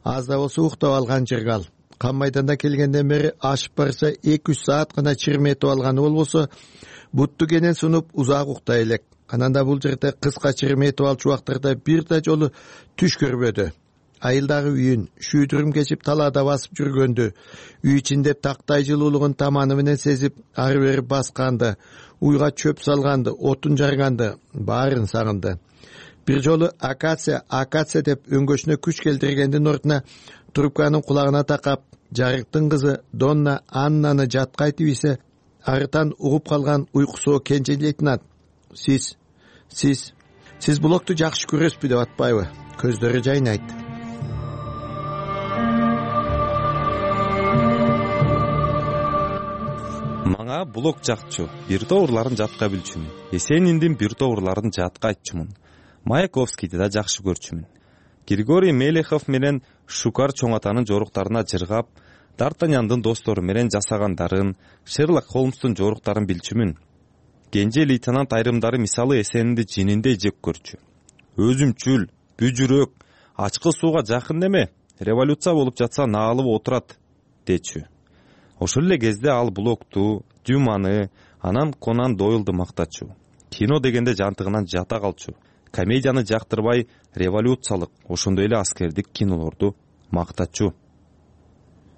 аз да болсо уктап алган жыргал. Кан майданда келгенден бери ашып барса эки үч саат гана чирметип алганы болбосо, бутту кенен сунуп узак уктай элек. Анан да бул жерде кыска чирметип алчу убактарда бир да жолу түш көрбөдү. Айылдагы үйүн шүйдүрүм кечип талаада басып жүргөндү, үй ичинде тактай жылуулугун таманы менен сезип, ары бери басканды, уйга чөп салганды, отун жарганды, баарын сагынды. Бир жолу акация, акация деп өңгөшүнө күч келтиргендин ордуна трубканын кулагына такап, жарыктын кызы Донна Аннаны жатка айтып ийсе, арытан угуп калган уйкусу кенже лейтенант: Сиз, сиз, сиз блокту жакшы көрөсүзбү деп атпайбы? Көздөрү жайнайт. Мага блок жакчу, бир тоорларын жатка билчүмүн. Есениндин бир тоорларын жатка айтчумун. Маяковскийди да жакшы көрчүмүн. Григорий Мелехов менен Шукар чоңатанын жоруктарына жыргап, Д'Артаньяндын достору менен жасагандарын, Шерлок Холмстун жоруктарын билчүмүн. Кенже лейтенант айрымдары мисалы Эсенинди жининдей жек көрчү. Өзүмчүл, бүжүрөк, ачкы сууга жакын неме, революция болуп жатса наалып отурат, дечү. Ошол эле кезде ал Блокту, Дюманы, анан Конан Дойлду мактачу. Кино дегенде жантыгынан жата калчу. Комедияны жактырбай, революциялык, ошондой эле аскердик кинолорду мактачу.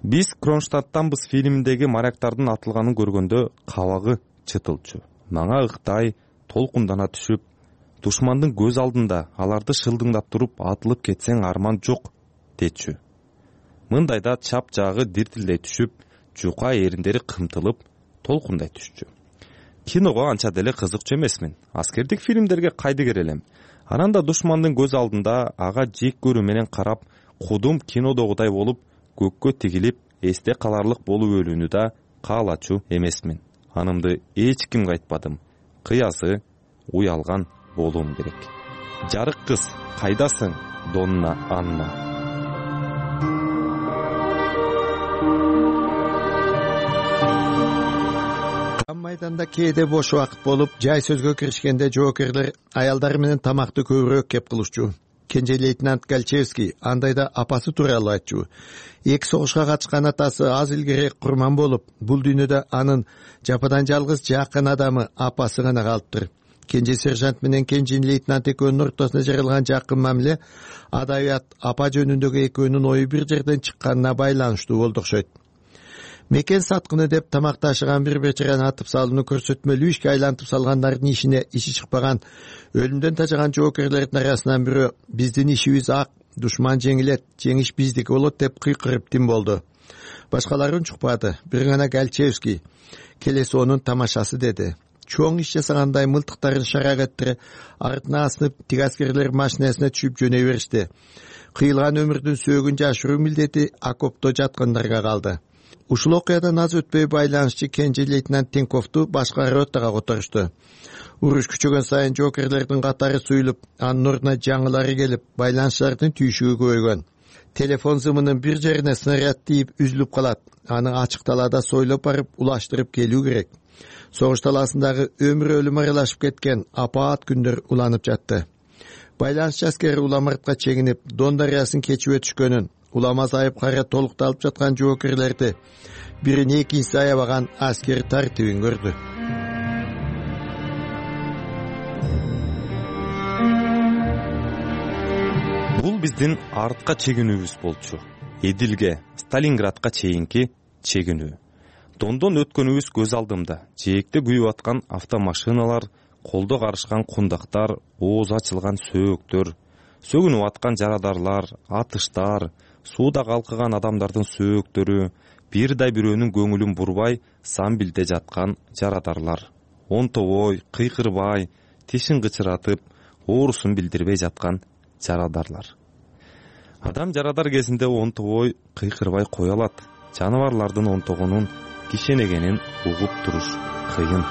Биз Кронштадттанбыз фильминдеги моряктардын атылганын көргөндө кабагы чытылчу. Мага ыктай, толкундана түшүп, душмандын көз алдында аларды шылдыңдап туруп атылып кетсең арман жок, дечү. Мындайда чап жагы диртилдей түшүп, жука эриндери кымтылып, толкундай түшчү. киного анча деле кызыкчу эмесмин. Аскердик фильмдерге кайдыгер элем. Анан да душмандын көз алдында ага жек көрүү менен карап, кудум кинодогудай болуп көккө тигилип эсте каларлык болуп өлүүнү да каалачу эмесмин. Анымды эч кимге айтпадым. Кыясы уялган болуум керек. Жарык кыз, кайдасың, Донна Анна? Майданда кээде бош убакыт болуп, жай сөзгө киришкенде жоокерлер аялдар менен тамакты көбүрөөк кеп кылышчу. Кенже лейтенант Галчевский андайда апасы тууралуу айтчу. Эки согушка катышкан атасы аз илгери курман болуп, бул дүйнөдө анын жападан жалгыз жакын адамы апасы гана калыптыр. Кенже сержант менен кенже лейтенант экөөнүн ортосуна жаралган жакын мамиле адабият апа жөнүндөгү экөөнүн ою бир жерден чыкканына байланыштуу болду окшойт. Мекен саткыны деп тамакташыган бир бечараны атып салууну көрсөтмөлүү ишке айлантып салгандардын ишине иши чыкпаган өлүмдөн тажаган жоокерлердин арасынан бирөө биздин ишибиз ак, душман жеңилет, жеңиш биздики болот деп кыйкырып тим болду. Башкалары унчукпады. Бир гана Галчевский келеси онун тамашасы деди. Чоң иш жасагандай мылтыктарын шарак этире артына асынып тик аскерлер машинасына түшүп жөнөй беришти. Кыйылган өмүрдүн сөөгүн жашыруу милдети окопто жаткандарга калды. Ушул окуядан аз өтпөй байланышчы кенже лейтенант Тинковду башка ротага которушту. Уруш күчөгөн сайын жоокерлердин катары суюлуп, анын ордуна жаңылары келип, байланыштардын түйшүгү көбөйгөн. Телефон зымынын бир жерине снаряд тийип үзүлүп калат. Аны ачык талаада сойлоп барып улаштырып келүү керек. Согуш талаасындагы өмүр өлүм аралашып кеткен апаат күндөр уланып жатты. Байланышчы аскери уламартка чегинип, Дон дарыясын кечип өтүшкөнүн, улама зайып кара толукталып жаткан жоокерлерди бирин экинчиси аябаган аскер тартибин көрдү. Бул биздин артка чегинүүбүз болчу. Эдилге, Сталинградка чейинки чегинүү. Дондон өткөнүбүз көз алдымда. Жээкте күйүп аткан автомашиналар, колдо карышкан кундактар, ооз ачылган сөөктөр, сөгүнүп аткан жарадарлар, атыштар, сууда калкыган адамдардын сөөктөрү, бир да бирөөнүн көңүлүн бурбай самбилде жаткан жарадарлар. Онтобой, кыйкырбай, тишин кычыратып, оорусун билдирбей жаткан жарадарлар. Адам жарадар кезинде онтобой, кыйкырбай кое алат. Жаныбарлардын онтогунун кишенегенин угуп туруш кыйын.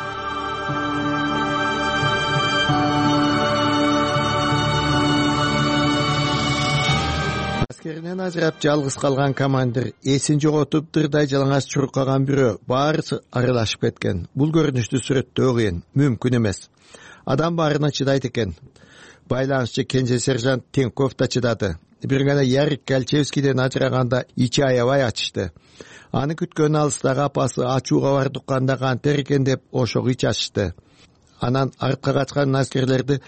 Аскеринен ажырап жалгыз калган командир, эсин жоготуп дырдай жалаңаш чуркаган бирөө, баарысы аралашып кеткен. Бул көрүнүштү сүрөттөө кыйын, мүмкүн эмес. Адам баарына чыдайт экен. Байланышчы кенже сержант Тинков да чыдады. Бир гана Ярик Галчевскийден ажыраганда ичи аябай ачышты. Аны күткөн алыстагы апасы ачууга барды укканда кантер экен деп ошого ич ачышты. Анан артка качкан аскерлерди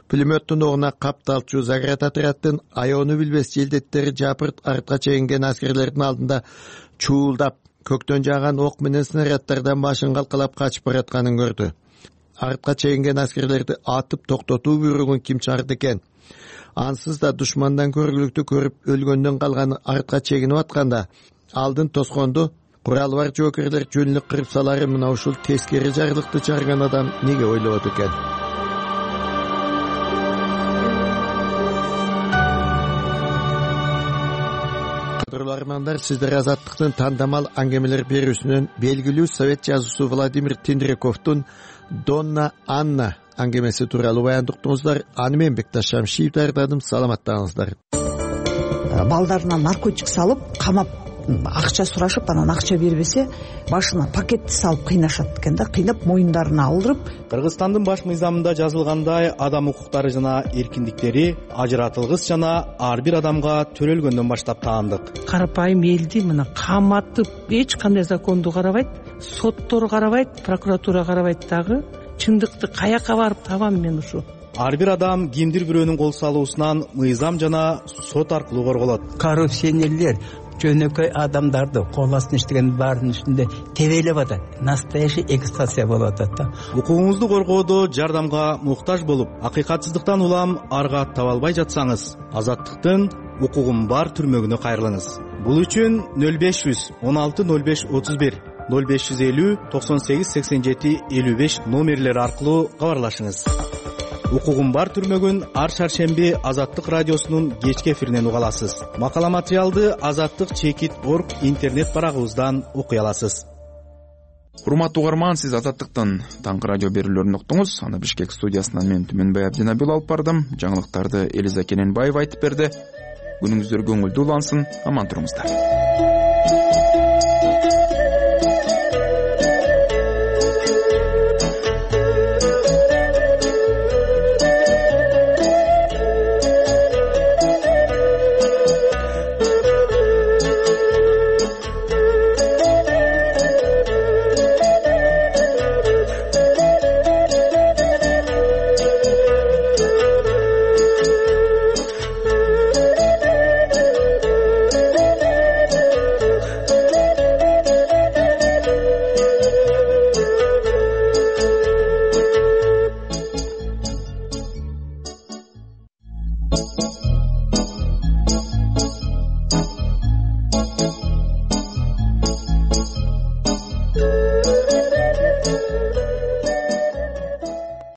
пулеметтин огуна капталчу Заград отрядтын аёну билбес желдеттери жапырт артка чегинген аскерлердин алдында чуулдап, көктөн жааган ок менен снаряддардан башын калкалап качып баратканын көрдү. Артка чегинген аскерлерди атып токтотуу буйругун ким чыгарды экен? Ансыз да душмандан көргүлүктү көрүп өлгөндөн калган артка чегинип атканда алдын тосконду куралы бар жоокерлер жөнүнө кырып салары мына ушул тескери жарлыкты чыгарган адам неге ойлобойт экен? Кадырлуу армандар, сиздер Азаттыктын тандамал аңгемелер берүүсүнөн белгилүү совет жазуучусу Владимир Тендриковдун Донна Анна аңгемеси тууралуу баяндыктыңыздар. Аны мен Бекташ Шамшиев даярдадым. Саламаттаңыздар. Балдарына наркотик салып, камап, акча сурашып, анан акча бербесе, башына пакетти салып кыйнашат экен да, кыйнап моюндарына алдырып. Кыргызстандын баш мыйзамында жазылгандай, адам укуктары жана эркиндиктери ажыратылгыс жана ар бир адамга төрөлгөндөн баштап таандык. Карапайым элди мына каматып, эч кандай законду карабайт, соттор карабайт, прокуратура карабайт дагы. Чындыкты каяка барып табам мен ушу? Ар бир адам кимдир бирөөнүн кол салуусунан мыйзам жана сот аркылуу корголот. Коррупционерлер жөнөкөй адамдарды кол астына иштеген баардын үстүндө тебелеп атат. Настоящий эксплуатация болуп атат да. Укугуңузду коргоодо жардамга муктаж болуп, акыйкатсыздыктан улам арга таба албай жатсаңыз, Азаттыктын укугум бар түрмөгүнө кайрылыңыз. Бул үчүн нөл беш жүз он алты нөл беш отуз бир ноль беш жүз элүү токсон сегиз сексен жети элүү беш номерлери аркылуу кабарлашыңыз. Укугум бар түрмөгүн ар шаршемби Азаттык радиосунун кечки эфиринен уга аласыз. Макала материалды азаттык чекит орг интернет барагыбыздан окуй аласыз. Урматтуу угарман, сиз Азаттыктын таңкы радио берүүлөрүн уктуңуз. Аны Бишкек студиясынан мен Түмөнбай Абдинабил алып бардым. Жаңылыктарды Элиза Кененбаева айтып берди. Күнүңүздөр көңүлдүү улансын, аман туруңуздар.